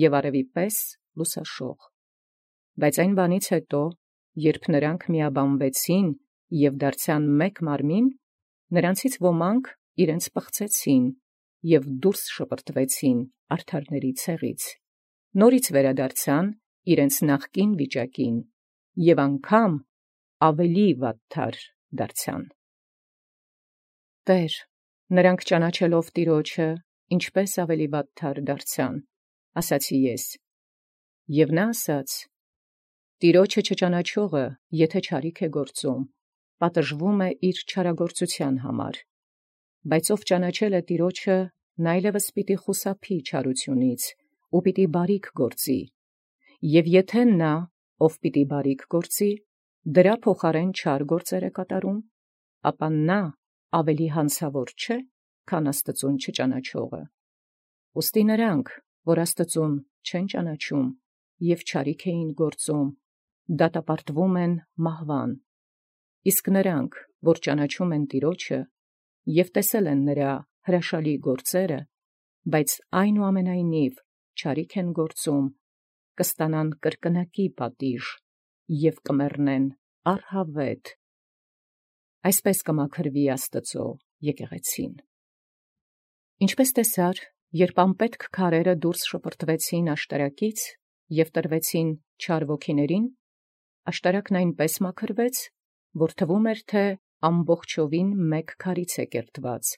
և արևի պես լուսաշող։ Բայց այն բանից հետո, երբ նրանք միաբանվեցին և դարձան մեկ մարմին, նրանցից ոմանք իրենց պղծեցին և դուրս շպրտվեցին արդարների ցեղից, նորից վերադարձան իրենց նախկին վիճակին և անգամ ավելի վատթար դարձան։ Տէր, նրանք ճանաչելով Տեառնէ, ինչպէս ավելի վատթար դարձան, ասացի ես։ Եւ նա ասաց. Տեառնէ չճանաչողը, եթէ չարիք է գործում, պատժվում է իր չարագործութեան համար. բայց ով ճանաչել է Տեառնէ, նա այլևս պիտի խուսափի չարութիւնից ու պիտի բարիք գործի, և եթէ նա, ով պիտի բարիք գործի, դրա փոխարէն չար գործեր է կատարում, ապա նա ավելի յանցաւոր չէ, քան Աստուծոյ չճանաչողը։ Ուստի նրանք, որ Աստուծոյ չեն ճանաչում և չարիք էին գործում, դատապարտվում են մահվան, իսկ նրանք, որ ճանաչում են Տեառնէ և տեսել են նրա հրաշալի գործերը, բայց այնուամենայնիվ չարիք են գործում, կստանան կրկնակի պատիժ և կմեռնեն առհավետ։ Այսպէս կմաքրվի Աստուծոյ եկեղեցին։ Ինչպէս տեսար, երբ անպետք քարերը դուրս շպրտվեցին աշտարակից և տրվեցին չար ոգիներին, աշտարակն այնպէս մաքրվեց, որ թվում էր, թէ ամբողջովին մեկ քարից է կերտված.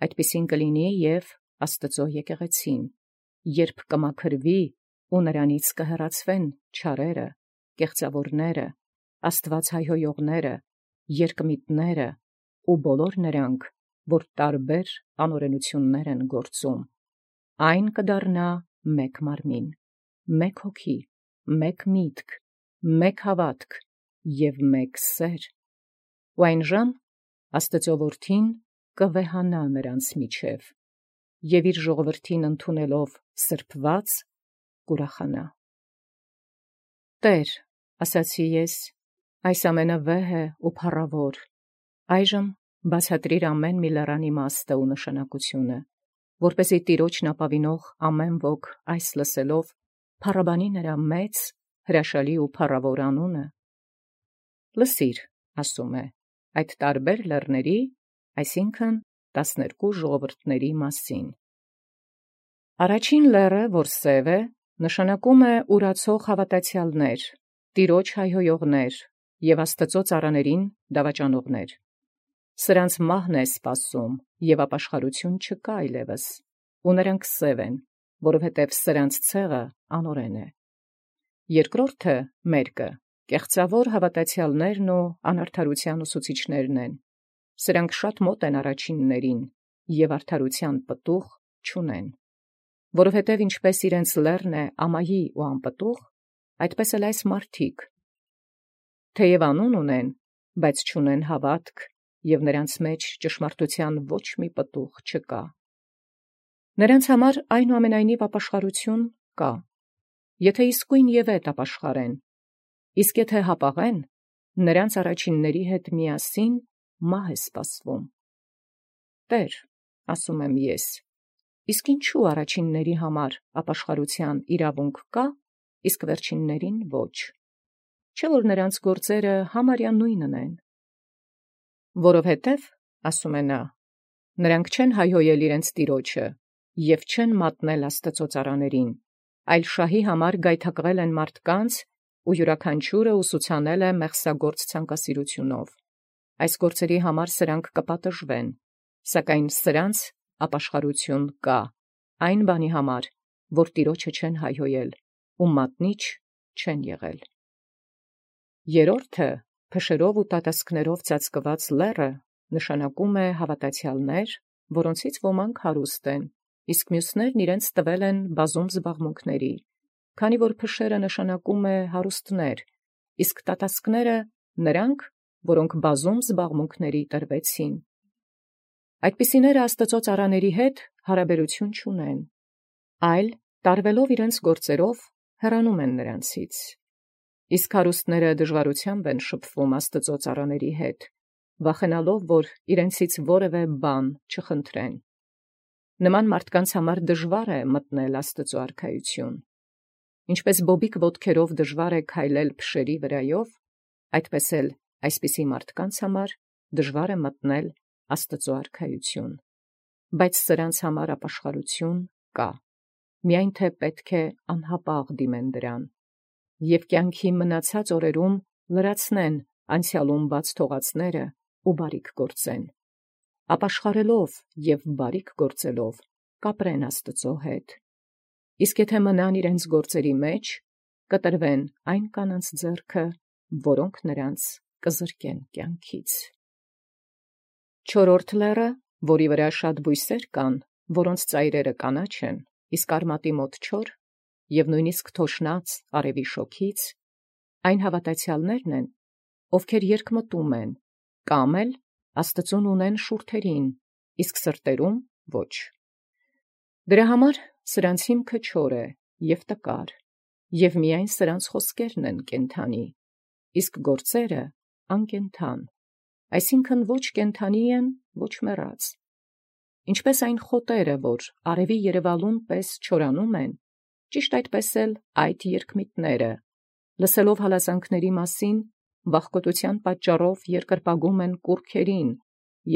այդպիսին կլինի և Աստուծոյ եկեղեցին, երբ կմաքրվի ու նրանից կհեռացվեն չարերը, կեղծաւորները, Աստուած հայհոյողները, երկմիտները ու բոլոր նրանք, որ տարբեր անօրենութիւններ են գործում, այն կդառնա մեկ մարմին, մեկ հոգի, մեկ միտք, մեկ հաւատք և մեկ սեր, ու այնժամ Աստուծոյ Որդին կվեհանա նրանց միջև, և իր ժողովրդին ընդունելով սրբոյց կուրախանա։ Տէր, ասացի ես, այս ամենը վեհ է ու փառաւոր. այժմ բացատրիր ամեն մի լեռան իմաստը ու նշանակութիւնը, որպեսզի Տեառնէ ապավինող ամեն ոք այս լսելով փառաբանի նրա մեծ, հրաշալի ու փառաւոր անունը։ Լսիր, ասում է, այդ տարբեր լեռների, այսինքն տասներկու ժողովուրդների մասին։ Առաջին լեռը, որ սև է, նշանակում է ուրացող հաւատացեալներ, Տեառնէ հայհոյողներ և Աստուծոյ ծառաներին դավաճանողներ։ Սրանց մահն է սպասում, և ապաշխարութիւն չկա այլևս, ու նրանք սև են, որովհետև սրանց ցեղը անօրեն է։ Երկրորդը, մերկը, կեղծաւոր հաւատացեալներն ու անարդարութեան ուսուցիչներն են. սրանք շատ մոտ են առաջիններին և արդարութեան պտուղ չունեն, որովհետև ինչպէս իրենց լեռն է ամայի ու անպտուղ, այդպէս էլ այս մարդիկ, թեև անուն ունեն, բայց չունեն հաւատք, և նրանց մեջ ճշմարտութեան ոչ մի պտուղ չկա։ Նրանց համար այնուամենայնիվ ապաշխարութիւն կա, եթէ իսկոյն և ետ ապաշխարեն, իսկ եթէ հապաղեն, նրանց առաջինների հետ միասին մահ է սպասվում։ Տէր, ասում եմ ես, իսկ ինչու առաջինների համար ապաշխարութեան իրաւունք կա, իսկ վերջիններին ոչ. չէ՞ որ նրանց գործերը համարյա նույնն են։ Որովհետև, ասում է նա, նրանք չեն հայհոյել իրենց Տեառնէ և չեն մատնել Աստուծոյ ծառաներին, այլ շահի համար գայթակղել են մարդկանց ու յուրաքանչիւրը ուսուցանել է մեղսագործ ցանկասիրութիւնով։ Այս գործերի համար սրանք կպատժվեն, սակայն սրանց ապաշխարութիւն կա այն բանի համար, որ Տեառնէ չեն հայհոյել ու մատնիչ չեն եղել։ Երրորդը, փշերով ու տատասկներով ծածկված լեռը, նշանակում է հաւատացեալներ, որոնցից ոմանք հարուստ են, իսկ մյուսներն իրենց տվել են բազում զբաղմունքների, քանի որ փշերը նշանակում է հարուստներ, իսկ տատասկները նրանք, որոնք բազում զբաղմունքների տրվեցին։ Այդպիսիները Աստուծոյ ծառաների հետ հարաբերութիւն չունեն, այլ տարվելով իրենց գործերով հեռանում են նրանցից։ Իսկ հարուստները դժվարությամբ են շփվում Աստծո ծառաների հետ, վախենալով, որ իրենցից որևէ բան չխնդրեն։ Նման մարդկանց համար դժվար է մտնել Աստծո արքայություն։ Ինչպես բոբիկ ոտքերով դժվար է քայլել փշերի վրայով, այդպես էլ այսպիսի մարդկանց համար դժվար է մտնել Աստծո արքայություն։ Բայց սրանց համար ապաշխարություն կա, միայն թե պետք է անհապաղ դիմեն դրան, և կյանքի մնացած օրերում լրացնեն անցյալում բաց թողածները ու բարիք գործեն, ապաշխարելով և բարիք գործելով կապրեն Աստծո հետ։ Իսկ եթե մնան իրենց գործերի մեջ, կտրվեն այն կանանց ձեռքը, որոնք նրանց կզրկեն կյանքից։ Չորրորդ լեռը, որի վրա շատ բույսեր կան, որոնց ծայրերը կանաչ են, իսկ արմատի մոտ չոր, և նույնիսկ թոշնած արևի շոգից, այն հավատացյալներն են, ովքեր երկմտում են, կամ էլ Աստծուն ունեն շուրթերին, իսկ սրտերում ոչ։ Դրա համար սրանց հիմքը չոր է և տկար, և միայն սրանց խոսքերն են կենդանի, իսկ գործերը անկենդան, այսինքն ոչ կենդանի են, ոչ մեռած։ Ինչպես այն խոտերը, որ արևի երևալուն պես չորանում են, ճիշտ այդպես էլ այդ երկմիտները, լսելով հալածանքների մասին, վախկոտության պատճառով երկրպագում են կուռքերին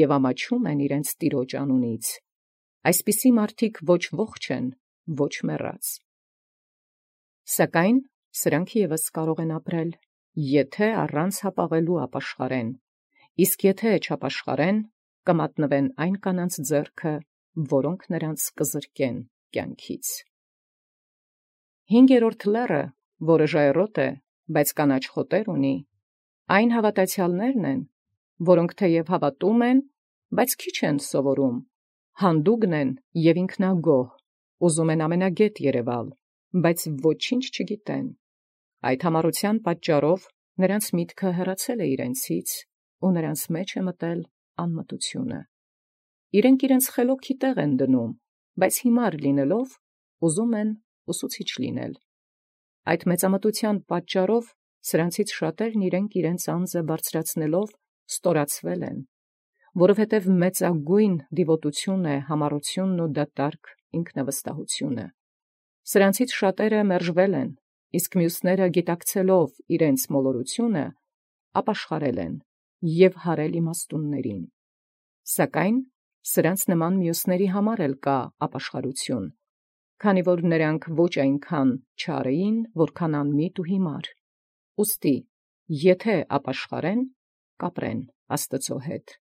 և ամաչում են իրենց տիրոջ անունից։ Այսպիսի մարդիկ ոչ ողջ են, ոչ մեռած։ Սակայն սրանք ևս կարող են ապրել, եթե առանց հապաղելու ապաշխարեն, իսկ եթե չապաշխարեն, կմատնվեն այն կանանց ձեռքը, որոնք նրանց կզրկեն կյանքից։ Հինգերորդ լեռը, որը ժայռոտ է, բայց կանաչ խոտեր ունի, այն հավատացյալներն են, որոնք թեև հավատում են, բայց քիչ են սովորում, հանդուգն են և ինքնագոհ, ուզում են ամենագետ երևալ, բայց ոչինչ չգիտեն։ Այդ համառության պատճառով նրանց միտքը հեռացել է իրենցից, ու նրանց մեջ է մտել անմտությունը։ Իրենք իրենց խելոքի տեղ են դնում, բայց հիմար լինելով ուզում են ուսուցիչ լինել։ Այդ մեծամտության պատճառով սրանցից շատերն իրենք իրենց անձը բարձրացնելով ստորացվել են, որովհետև մեծագույն դիվոտություն է համառությունն ու դատարկ ինքնավստահությունը։ Սրանցից շատերը մերժվել են, իսկ մյուսները գիտակցելով իրենց մոլորությունը, ապաշխարել են և հարել իմաստուններին։ Սակայն սրանց նման մյուսների համար էլ կա ապաշխարություն, քանի որ նրանք ոչ այնքան չար էին, որքան անմիտ ու հիմար։ Ուստի եթե ապաշխարեն, կապրեն Աստծո հետ,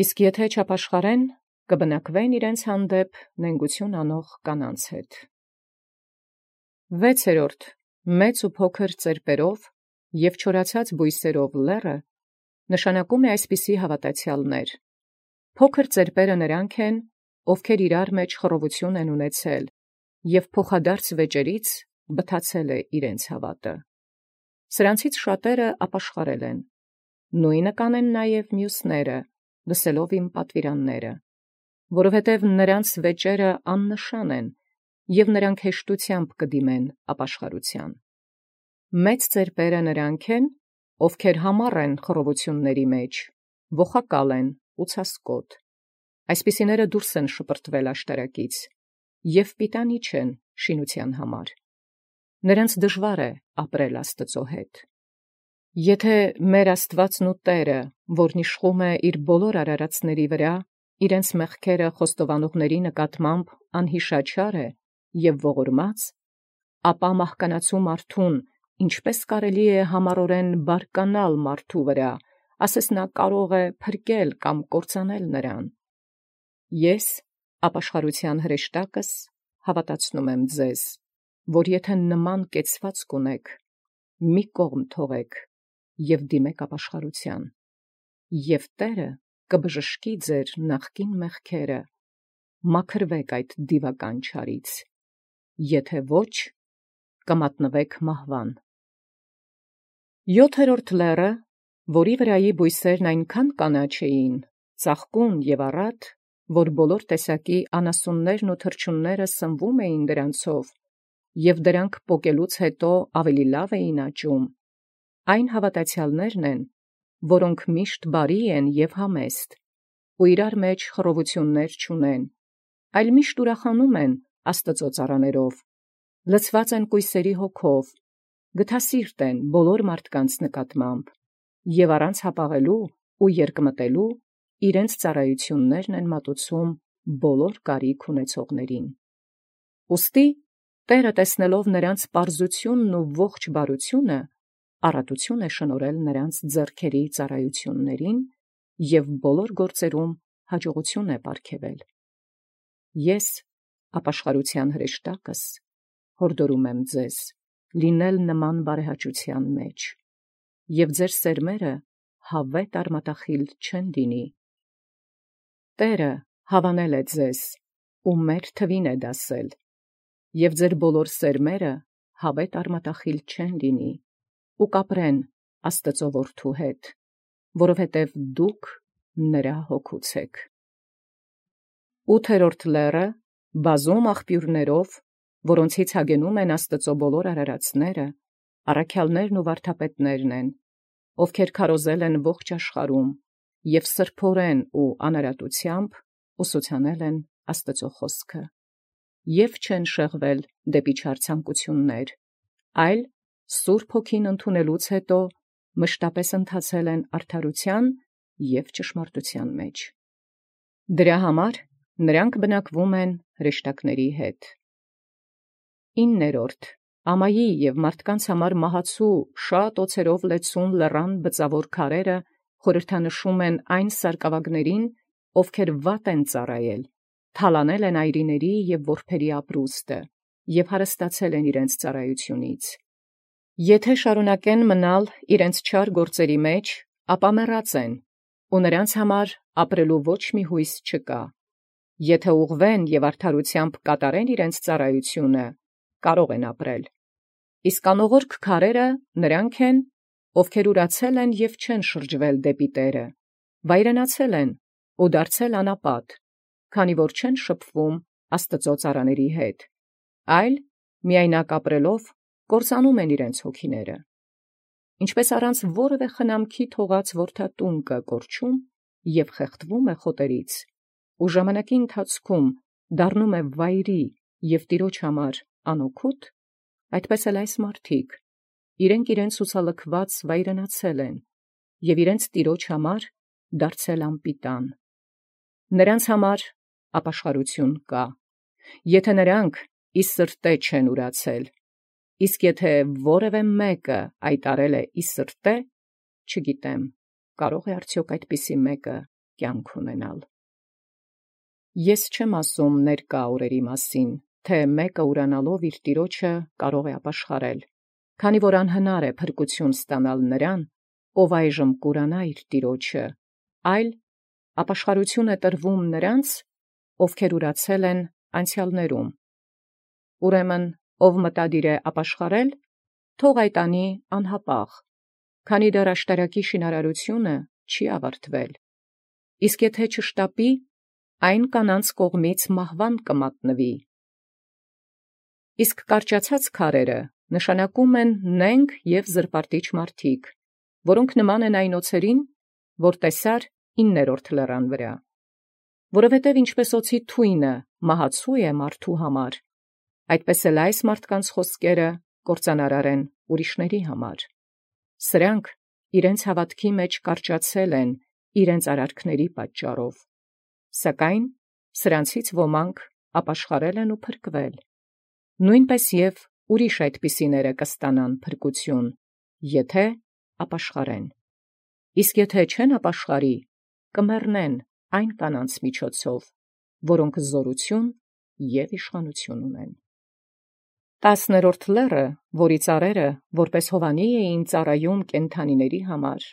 իսկ եթե չապաշխարեն, կբնակվեն իրենց հանդեպ նենգություն անող կանանց հետ։ Վեցերորդ մեծ ու փոքր ծերպերով և չորացած բույսերով լեռը նշանակում է այսպիսի հավատացյալներ. փոքր ծերպերը նրանք են, ովքեր իրար մեջ խռովություն են ունեցել, և փոխադարձ վեճերից բթացել է իրենց հավատը։ Սրանցից շատերը ապաշխարել են, նույնը կանեն նաև մյուսները, լսելով իմ պատվիրանները, որովհետև նրանց վեճերը աննշան են, և նրանք հեշտությամբ կդիմեն ապաշխարության։ Մեծ ծերպերը նրանք են, ովքեր համառ են խռովությունների մեջ, ոխակալ են ու ցասկոտ։ Այսպիսիները դուրս են շպրտվել աշտարակից և պիտանի չեն շինության համար։ Նրանց դժվար է ապրել Աստծո հետ։ Եթե մեր Աստվածն ու Տերը, որն իշխում է իր բոլոր արարածների վրա, իրենց մեղքերը խոստովանողների նկատմամբ անհիշաչար է և ողորմած, ապա մահկանացու մարդուն ինչպե՞ս կարելի է համառորեն բարկանալ մարդու վրա, ասես նա կարող է փրկել կամ կործանել նրան։ Ես ապաշխարության հրեշտակս հավատացնում եմ ձեզ, որ եթե նման կեցվածք ունեք, մի կողմ թողեք և դիմեք ապաշխարության, և Տերը կբժշկի ձեր նախկին մեղքերը, մաքրվեք այդ դիվական չարից, եթե ոչ, կմատնվեք մահվան։ Յոթերորդ լեռը, որի վրայի բույսերն այնքան կանաչ էին, ծաղկուն և առատ, որ բոլոր տեսակի անասուններն ու թռչունները սնվում էին դրանցով, և դրանք պոկելուց հետո ավելի լավ էին աճում, այն հաւատացեալներն են, որոնք միշտ բարի են և համեստ, ու իրար մեջ խռովութիւններ չունեն, այլ միշտ ուրախանում են Աստուծոյ ծառաներով, լցված են կոյսերի հոգով, գթասիրտ են բոլոր մարդկանց նկատմամբ, և առանց հապաղելոյ ու երկմտելոյ իրենց ծառայութիւններն են մատուցում բոլոր կարիք ունեցողացն։ Ուստի Տէրը տեսնելով նոցա պարզութիւնն ու ողջ բարութիւնը, առատութիւն է շնորհել նոցա ձեռքերի ծառայութիւնացն և բոլոր գործոյն յաջողութիւն է պարգևել։ Ես, ապաշխարութեան հրեշտակս, յորդորում եմ ձեզ լինել նման բարեհաճութեան մեջ, և ձեր սերմերը հաւէտ արմատախիլ չեն լինի։ Տէրը հաւանել է ձեզ, ու մեր թուին է դասել, և ձեր բոլոր սերմերը հաւէտ արմատախիլ չեն լինի, ու կապրեն Աստուծոյ Որդու հետ, որովհետև դուք նրա հոգուց էք։ Ութերորդ լեռը բազում աղբիւրներով, որոնցից յագենում են Աստուծոյ բոլոր արարածները, առաքեալներն ու վարդապետներն են, ովքեր քարոզել են ողջ աշխարհում և սրբորեն ու անարատութեամբ ուսուցանել են Աստուծոյ խօսքը, և չեն շեղվել դեպի չար ցանկութիւնս, այլ Սուրբ Հոգին ընդունելուց յետոյ մշտապէս ընթացել են արդարութեան և ճշմարտութեան մեջ։ Դրա համար նրանք բնակվում են հրեշտակաց հետ։ Իններորդ. Ամայի և մարդկանց համար մահացու շատ օցերով լեցուն լեռան բծաւոր քարերը խորհրդանշում են այն սարկաւագացն, ովքեր վատ են ծառայել, թալանել են այրիների և որբերի ապրուստը և հարստացել են իրենց ծառայութիւնից։ Եթէ շարունակեն մնալ իրենց չար գործոյն մեջ, ապա մեռած են, ու նրանց համար ապրելու ոչ մի յույս չկա. եթէ ուղղվեն և արդարութեամբ կատարեն իրենց ծառայութիւնը, կարող են ապրել։ Իսկ անողորք քարերը նրանք են, ովքեր ուրացել են և չեն շրջվել դեպի Տէրը, վայրենացել են ու դարձել անապատ, քանի որ չեն շփվում Աստուծոյ ծառաաց հետ, այլ միայնակ ապրելով կործանում են իրենց հոգիները։ Ինչպէս առանց որևէ խնամքի թողած որդատունկ կորչում և խեղդվում է խոտերից, ու ժամանակի ընթացքում դառնում է վայրի և Տեառն համար անօգուտ, այդպէս էլ այս մարդիկ իրենք իրենց ցուցալքուած վայրենացել են և իրենց Տեառն համար դարձել անպիտան։ Նրանց համար ապաշխարութիւն կա, եթէ նոցա ի սրտե չեն ուրացել, իսկ եթէ որևէ մեկը այտարել է ի սրտե, չգիտեմ կարո՞ղ է արդեաւք այդպիսի մեկը կենք ունենալ։ Ես չեմ ասում ներկայ օրերի մասին, թէ մեկը ուրանալով իր Տեառն կարող է ապաշխարել, քանի որ անհնար է փրկութիւն ստանալ նրան, ով այժմ կուրանայ իր Տեառն, այլ ապաշխարութիւն է տրվում նոցա, ովքեր ուրացել են յանցեալսն։ Ուրեմն ով մտադիր է ապաշխարել, թող այդ անի անհապաղ, քանի դեռ աշտարակի շինարարութիւնը չի աւարտվել, իսկ եթէ չշտապի, այն կանանց կողմից մահուան կմատնուի։ Իսկ կարճացած քարերը նշանակում են նենգ և զրպարտիչ մարդիկ, որոնք նման են այն օձերին, որ տեսար իններորդ լեռան վրայ։ Որովհետև ինչպէս օձի թույնը մահացու է մարդու համար, այդպէս էլ այս մարդկանց խոսքերը կործանարար են ուրիշացն համար. սրանք իրենց հաւատոց մեջ կարճացել են իրենց արարքացն պատճառով, սակայն սրանցից ոմանք ապաշխարել են ու փրկվել. նոյնպէս և ուրիշ այդպիսիք կստանան փրկութիւն, եթէ ապաշխարեն։ Իսկ եթէ չեն ապաշխարի, կմեռնեն այն կանանց միջոցով, որոնք զօրութիւն և իշխանութիւն ունեն։ Տասներորդ լեռը, որի ծառերը որպէս Յովհաննի էին ծառայում կենդանիցն համար,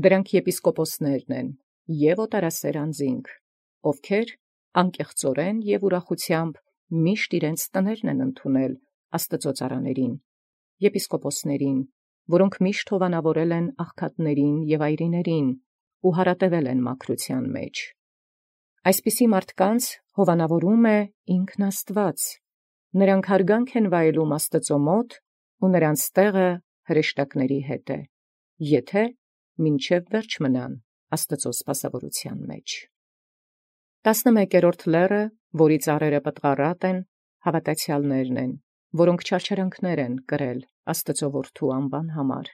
դրանք եպիսկոպոսներն են և օտարասէր անձինք, ովքեր անկեղծորեն և ուրախութեամբ միշտ իրենց տներն են ընդունել Աստուծոյ ծառաացն, եպիսկոպոսացն, որոնք միշտ հովանավորել են աղքատացն և այրիներին ու յարատևել են մաքրութեան մեջ։ Այսպիսի մարդկանց հովանավորում է ինքն Աստուած, Նրանք հարգանք են վայելում Աստուծոյ մոտ, ու նրանց տեղը հրեշտակների հետ է, եթե մինչև վերջ մնան Աստուծոյ սպասաւորութեան մեջ։ Տասնմեկերորդ լեռը, որի ծառերը պտղառատ են, հաւատացեալներն են, որոնք չարչարանքներ են կրել Աստուծոյ որդու անվան համար,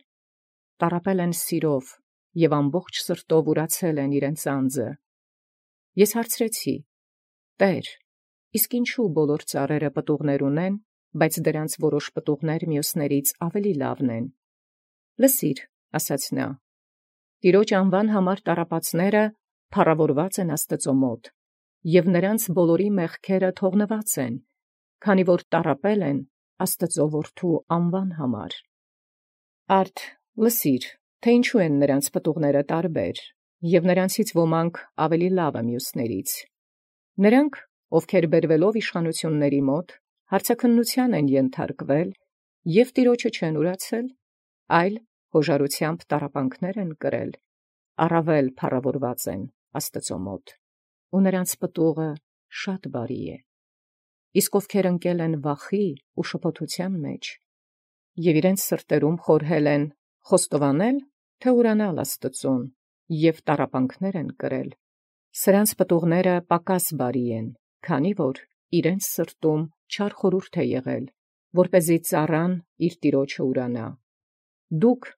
տառապել են սիրով և ամբողջ սրտով ուրացել են իրենց անձը։ Ես հարցրեցի. «Տէր, իսկ ինչու բոլոր ծառերը պտուղներ ունեն, բայց դրանց որոշ պտուղներ մյուսներից ավելի լավն են»։ «Լսիր», ասաց նա, «Տիրոջ անվան համար տառապածները փառաւորված են Աստուծոյ մոտ, և նրանց բոլորի մեղքերը թողնված են, քանի որ տառապել են Աստուծոյ որդու անվան համար»։ Արդ լսիր, թէ ինչու են նրանց պտուղները տարբեր, և նրանցից ոմանք ավելի լավը մյուսներից։ Նրանք, ովքեր բերվելով իշխանութիւնացն մոտ, հարցաքննութեան են ենթարկվել և Տիրոջը չեն ուրացել, այլ հոժարութեամբ տառապանքներ են կրել, առավել փառաւորված են Աստուծոյ մոտ, ու նրանց պտուղը շատ բարի է։ Իսկ ովքեր ընկել են վախի ու շփոթութեան մեջ, և իրենց սրտերում խորհել են խոստովանել, թե ուրանալ Աստուծուն, և տառապանքներ են կրել, սրանց պտուղները պակաս բարի են, քանի որ իրենց սրտում չար խորհուրդ է եղել, որպեսզի ծառան իր տիրոջը ուրանա։ Դուք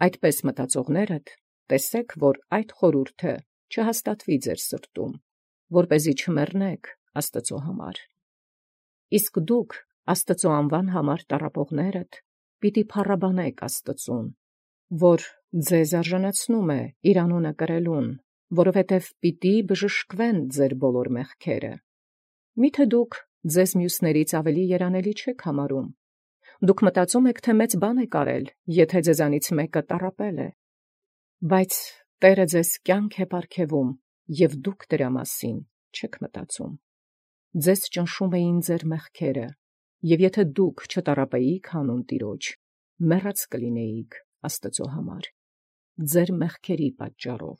այդպես մտածողներդ տեսէք, որ այդ խորհուրդը չհաստատվի ձեր սրտում, որպեսզի չմեռնեք Աստուծոյ համար։ Իսկ դուք Աստուծոյ անվան համար տառապողներդ պիտի փառաբանեք Աստուծուն, որ ձեզ արժանացնում է իր անունը կրելուն, որովհետև պիտի բժշկվեն ձեր բոլոր մեղքերը։ Միթե դուք ձեզ մյուսներից ավելի երանելի չեք համարում։ Դուք մտածում եք, թե մեծ բան եք արել, եթե ձեզանից մեկը տառապել է։ Բայց Տէրը ձեզ կյանք է պարգևում, և դուք դրա մասին չեք մտածում։ Ձեզ ճնշում էին ձեր մեղքերը, և եթե դուք չտառապեիք հանուն Տիրոջ, մեռած կլինեիք Աստուծոյ համար, ձեր մեղքերի պատճառով։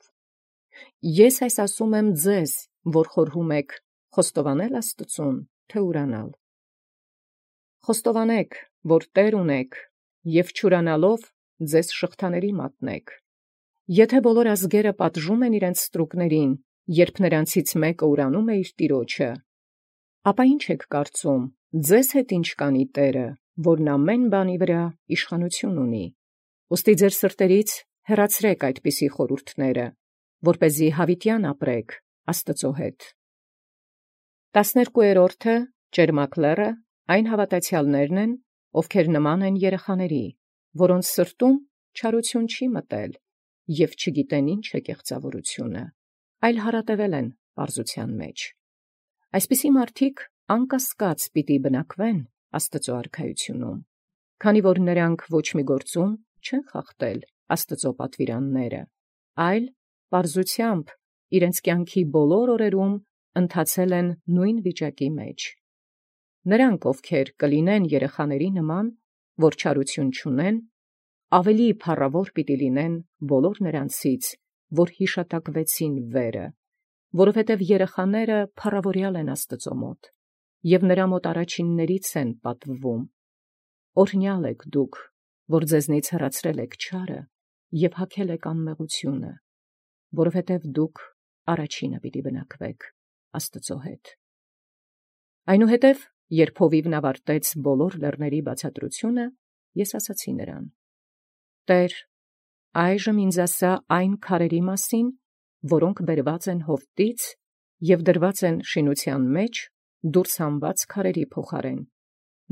Ես այս ասում եմ ձեզ, որ խորհում եք խոստովանել Աստուծուն, թե ուրանալ։ Խոստովանեք, որ Տէր ունեք, և չուրանալով ձեզ շղթաների մատնեք։ Եթե բոլոր ազգերը պատժում են իրենց ստրուկներին, երբ նրանցից մեկը ուրանում է իր տիրոջը, ապա ի՞նչ եք կարծում, ձեզ հետ ի՞նչ կանի Տէրը, որն ամեն բանի վրա իշխանութիւն ունի։ Ուստի ձեր սրտերից հեռացրեք այդպիսի խորհուրդները, որպեսզի յաւիտեան ապրեք Աստուծոյ հետ։ Տասներկուերորդը ճերմակ լեռը այն հաւատացեալներն են, ովքեր նման են երեխաների, որոնց սրտում չարութիւն չի մտել, և չգիտեն ինչ է կեղծաւորութիւնը, այլ հարատևել են պարզութեան մեջ։ Այսպիսի մարդիկ անկասկած պիտի բնակվեն Աստուծոյ արքայութիւնում, քանի որ նրանք ոչ մի գործում չեն խախտել Աստուծոյ պատուիրանները, այլ պարզութեամբ իրենց կյանքի բոլոր օրերուն ընթացել են նույն վիճակի մեջ։ Նրանք, ովքեր կլինեն երեխաների նման, որ չարութիւն չունեն, ավելի փառաւոր պիտի լինեն բոլոր նրանցից, որ յիշատակվեցին վերը, որովհետև երեխաները փառաւորեալ են Աստուծոյ մոտ, և նրա մոտ առաջիններից են պատվվում։ Օրհնեալ եք դուք, որ ձեզնից հեռացրել եք չարը և հագել եք անմեղութիւնը, որովհետև դուք առաջինը պիտի բնակվեք Աստուծոյ հետ։ Այնուհետև, երբ հովիւն ավարտեց բոլոր լեռների բացատրութիւնը, ես ասացի նրան. «Տէր, այժմ ինձ ասա այն քարերի մասին, որոնք բերված են Հովտից և դրված են շինութեան մեջ դուրս հանված քարերի փոխարեն,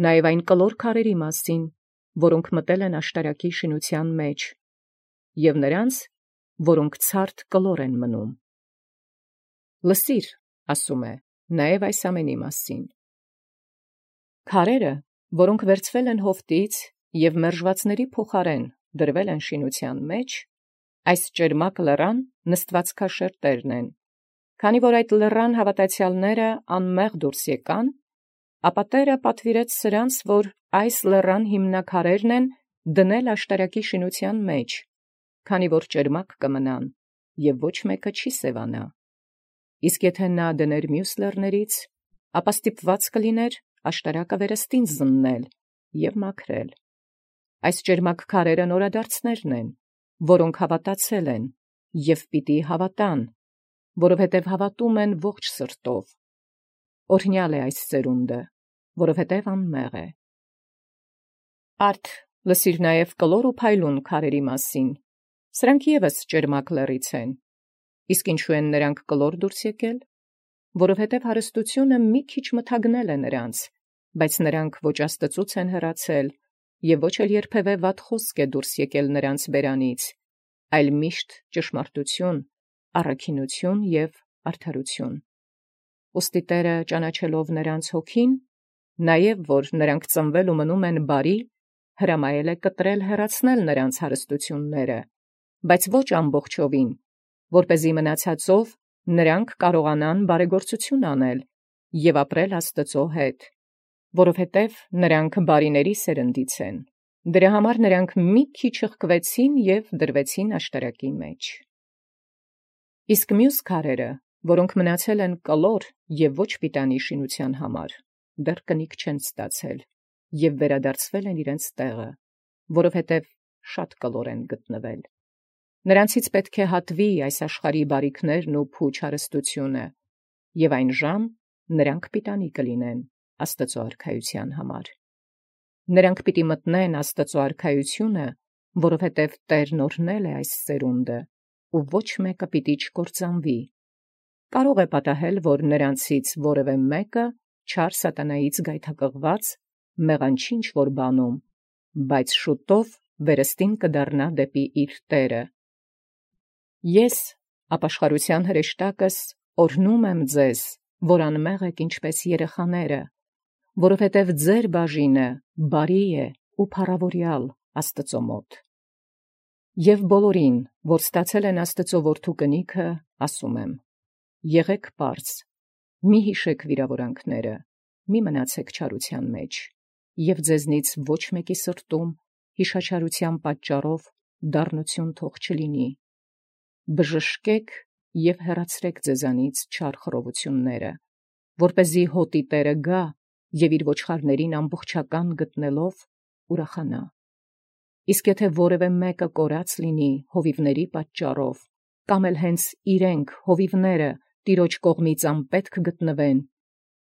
նաև այն կլոր քարերի մասին, որոնք մտել են աշտարակի շինութեան մեջ, և նրանց, որոնք ցարդ կլոր են մնում։ Լսիր, ասում է, նաև այս ամենի մասին. քարերը, որոնք վերցվել են Հովտից և մերժվածների փոխարեն դրվել են շինութեան մեջ, այս ճերմակ լեռան նստվածքաշերտերն են, քանի որ այդ լեռան հաւատացեալները անմեղ դուրս եկան, ապա Տէրը պատուիրեց սրանց, որ այս լեռան հիմնաքարերն են դնել աշտարակի շինութեան մեջ, քանի որ ճերմակ կմնան, և ոչ մեկը չի սևանա։ Իսկ եթե նա դներ մյուս լեռներից, ապա ստիպված կլիներ աշտարակը վերստին զննել և մաքրել։ Այս ճերմակ քարերը նորադարձներն են, որոնք հավատացել են և պիտի հավատան, որովհետև հավատում են ողջ սրտով։ Օրհնյալ է այս ծերունդը, որովհետև անմեղ է։ Արդ լսիր նաև կլոր ու փայլուն քարերի մասին, սրանք ևս ճերմակ լեռից են։ Իսկ ինչու են նրանք կլոր դուրս եկել, որովհետև հարստությունը մի քիչ մթագնել է նրանց, բայց նրանք ոչ Աստծուց են հեռացել, և ոչ էլ երբևէ վատ խոսք է դուրս եկել նրանց բերանից, այլ միշտ ճշմարտություն, առաքինություն և արդարություն։ Ուստի Տերը ճանաչելով նրանց հոգին, նաև որ նրանք ծնվել ու մնում են բարի, հրամայել է կտրել հեռացնել նրանց հարստությունները, բայց ոչ ամբողջովին, որպեսզի մնացածով նրանք կարողանան բարեգործություն անել և ապրել Աստծո հետ, որովհետև նրանք բարիների սերնդից են։ Դրա համար նրանք մի քիչ հղկվեցին և դրվեցին աշտարակի մեջ։ Իսկ մյուս քարերը, որոնք մնացել են կլոր և ոչ պիտանի շինության համար, դեռ կնիկ չեն ստացել և վերադարձվել են իրենց տեղը, որովհետև շատ կլոր են գտնվել։ Նրանցից պետք է հատվի այս աշխարհի բարիքներն ու փուչ հարստությունը, և այն ժամ նրանք պիտանի կլինեն Աստծո արքայության համար։ Նրանք պիտի մտնեն Աստծո արքայությունը, որովհետև Տերն օրհնել է այս ծերունդը, ու ոչ մեկը պիտի չկործանվի։ Կարող է պատահել, որ նրանցից որևէ մեկը չար սատանայից գայթակղված մեղանչի ինչ-որ բանում, բայց շուտով վերստին կդառնա դեպի իր Տերը։ Ես, ապաշխարության հրեշտակս, օրհնում եմ ձեզ, որ անմեղ եք ինչպես երեխաները, որովհետև ձեր բաժինը բարի է ու փառավորյալ Աստծո մոտ։ Եվ բոլորին, որ ստացել են Աստծո որդու կնիքը, ասում եմ. եղեք պարզ, մի հիշեք վիրավորանքները, մի մնացեք չարության մեջ, և ձեզնից ոչ մեկի սրտում հիշաչարության պատճառով դառնություն թող չլինի։ Բժշկեք և հեռացրեք ձեզանից չար խռովությունները, որպեսզի հոտի Տերը գա և իր ոչխարներին ամբողջական գտնելով ուրախանա։ Իսկ եթե որևէ մեկը կորած լինի հովիվների պատճառով, կամ էլ հենց իրենք հովիվները Տիրոջ կողմից անպետք գտնվեն,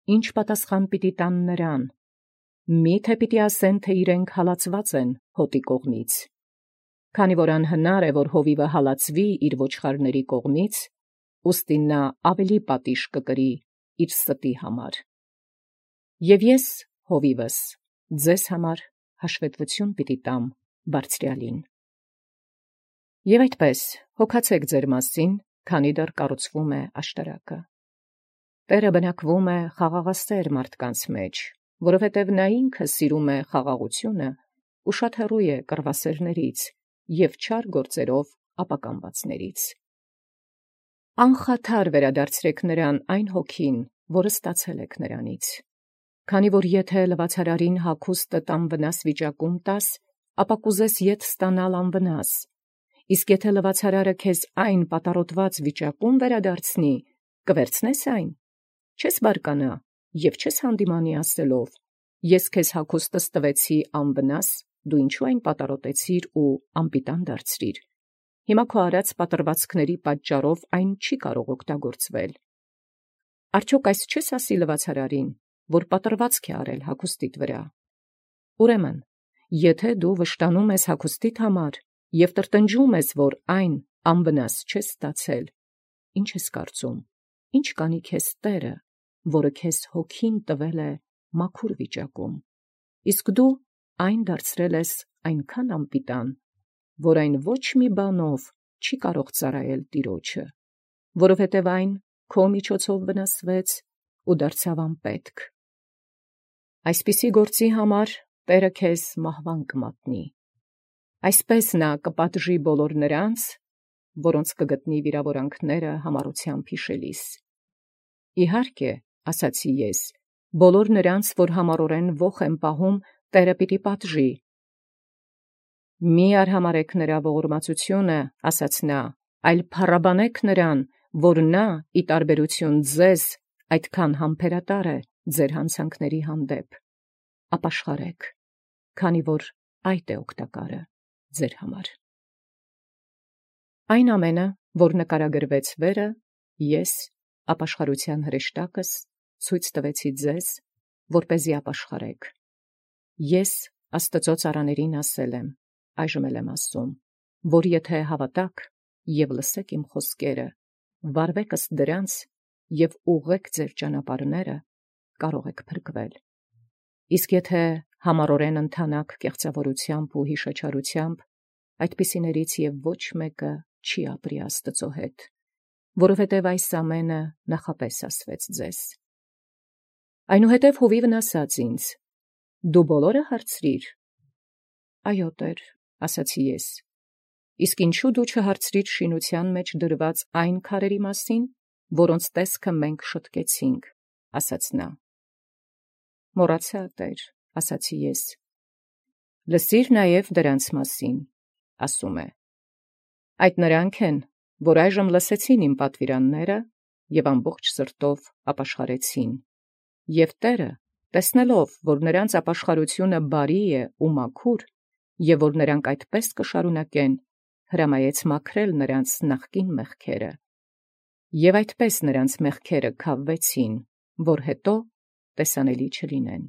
ի՞նչ պատասխան պիտի տան նրան։ Մի՞թե պիտի ասեն, թե իրենք հալածված են հոտի կողմից։ Քանի որ անհնար է, որ հովիվը հալածվի իր ոչխարների կողմից, ուստի նա ավելի պատիժ կկրի իր ստի համար։ Եվ ես, հովիվս, ձեզ համար հաշվետվություն պիտի տամ Բարձրյալին։ Եվ այդպես հոգացեք ձեր մասին, քանի դեռ կառուցվում է աշտարակը։ Տերը բնակվում է խաղաղասեր մարդկանց մեջ, որովհետև նա ինքը սիրում է խաղաղությունը ու շատ հեռու է կռվասերներից և չար գործերով ապականվածներից։ Անխաթար վերադարձրեք նրան այն հոգին, որը ստացել եք նրանից։ Քանի որ եթե լվացարարին հագուստը անվնաս վիճակում տաս, ապա կուզես ետ ստանալ անվնաս, իսկ եթե լվացարարը քեզ այն պատառոտված վիճակում վերադարձնի, կվերցնե՞ս այն։ Չես բարկանա և չես հանդիմանի ասելով. ես քեզ հագուստս տվեցի անվնաս, դու ինչու այն պատառոտեցիր ու անպիտան դարձրիր։ Հիմա քո արած պատրվածքների պատճառով այն չի կարող օգտագործվել։ Արդյոք այս չես ասի լվացարարին, որ պատրվածք է արել հագուստիդ վրա։ Ուրեմն, եթե դու վշտանում ես հագուստիդ համար և տրտնջում ես, որ այն անվնաս չես ստացել, ի՞նչ ես կարծում, ի՞նչ կանի քեզ Տերը, որը քեզ հոգին տվել է մաքուր վիճակում, իսկ դու այն դարձրել ես այնքան անպիտան, որ այն ոչ մի բանով չի կարող ծառայել Տիրոջը, որովհետև այն քո միջոցով վնասվեց ու դարձավ անպետք։ Այսպիսի գործի համար Տերը քեզ մահվան կմատնի։ Այսպես նա կպատժի բոլոր նրանց, որոնց կգտնի վիրավորանքները համառությամբ հիշելիս։ Իհարկե, ասացի ես, բոլոր նրանց, որ համառորեն ոխ են պահում, Տերը պիտի պատժի։ Մի արհամարհեք նրա ողորմածությունը, ասաց նա, այլ փառաբանեք նրան, որ նա, ի տարբերություն ձեզ, այդքան համբերատար է ձեր հանցանքների հանդեպ, ապաշխարեք, քանի որ այդ է օգտակարը ձեր համար։ Այն ամենը, որ նկարագրվեց վերը, ես, ապաշխարության հրեշտակս, ցույց տվեցի ձեզ, որպեսզի ապաշխարեք։ Ես Աստծո ծառաներին ասել եմ, այժմ էլ եմ ասում, որ եթե հավատաք և լսեք իմ խոսքերը, վարվեք ըստ դրանց և ուղղեք ձեր ճանապարհները, կարող եք փրկվել։ Իսկ եթե համառորեն ընթանաք կեղծավորությամբ ու հիշաչարությամբ, այդպիսիներից և ոչ մեկը չի ապրի Աստծո հետ, որովհետև այս ամենը նախապես ասվեց ձեզ։ Այնուհետև հովիվն ասաց ինձ. «Դու բոլորը հարցրիր»։ «Այո, Տեր», ասացի ես։ «Իսկ ինչու դու չհարցրիր շինության մեջ դրված այն քարերի մասին, որոնց տեսքը մենք շտկեցինք», ասաց նա։ «Մոռացա, Տեր», ասացի ես։ «Լսիր նաև դրանց մասին», ասում է։ «Այդ նրանք են, որ այժմ լսեցին իմ պատվիրանները և ամբողջ սրտով ապաշխարեցին։ Եւ Տերը, տեսնելով, որ նրանց ապաշխարությունը բարի է ու մաքուր, եւ որ նրանք այդպես կշարունակեն, հրամայեց մաքրել նրանց նախկին մեղքերը։ Եւ այդպես նրանց մեղքերը քավվեցին, որ հետո տեսանելի չլինեն»։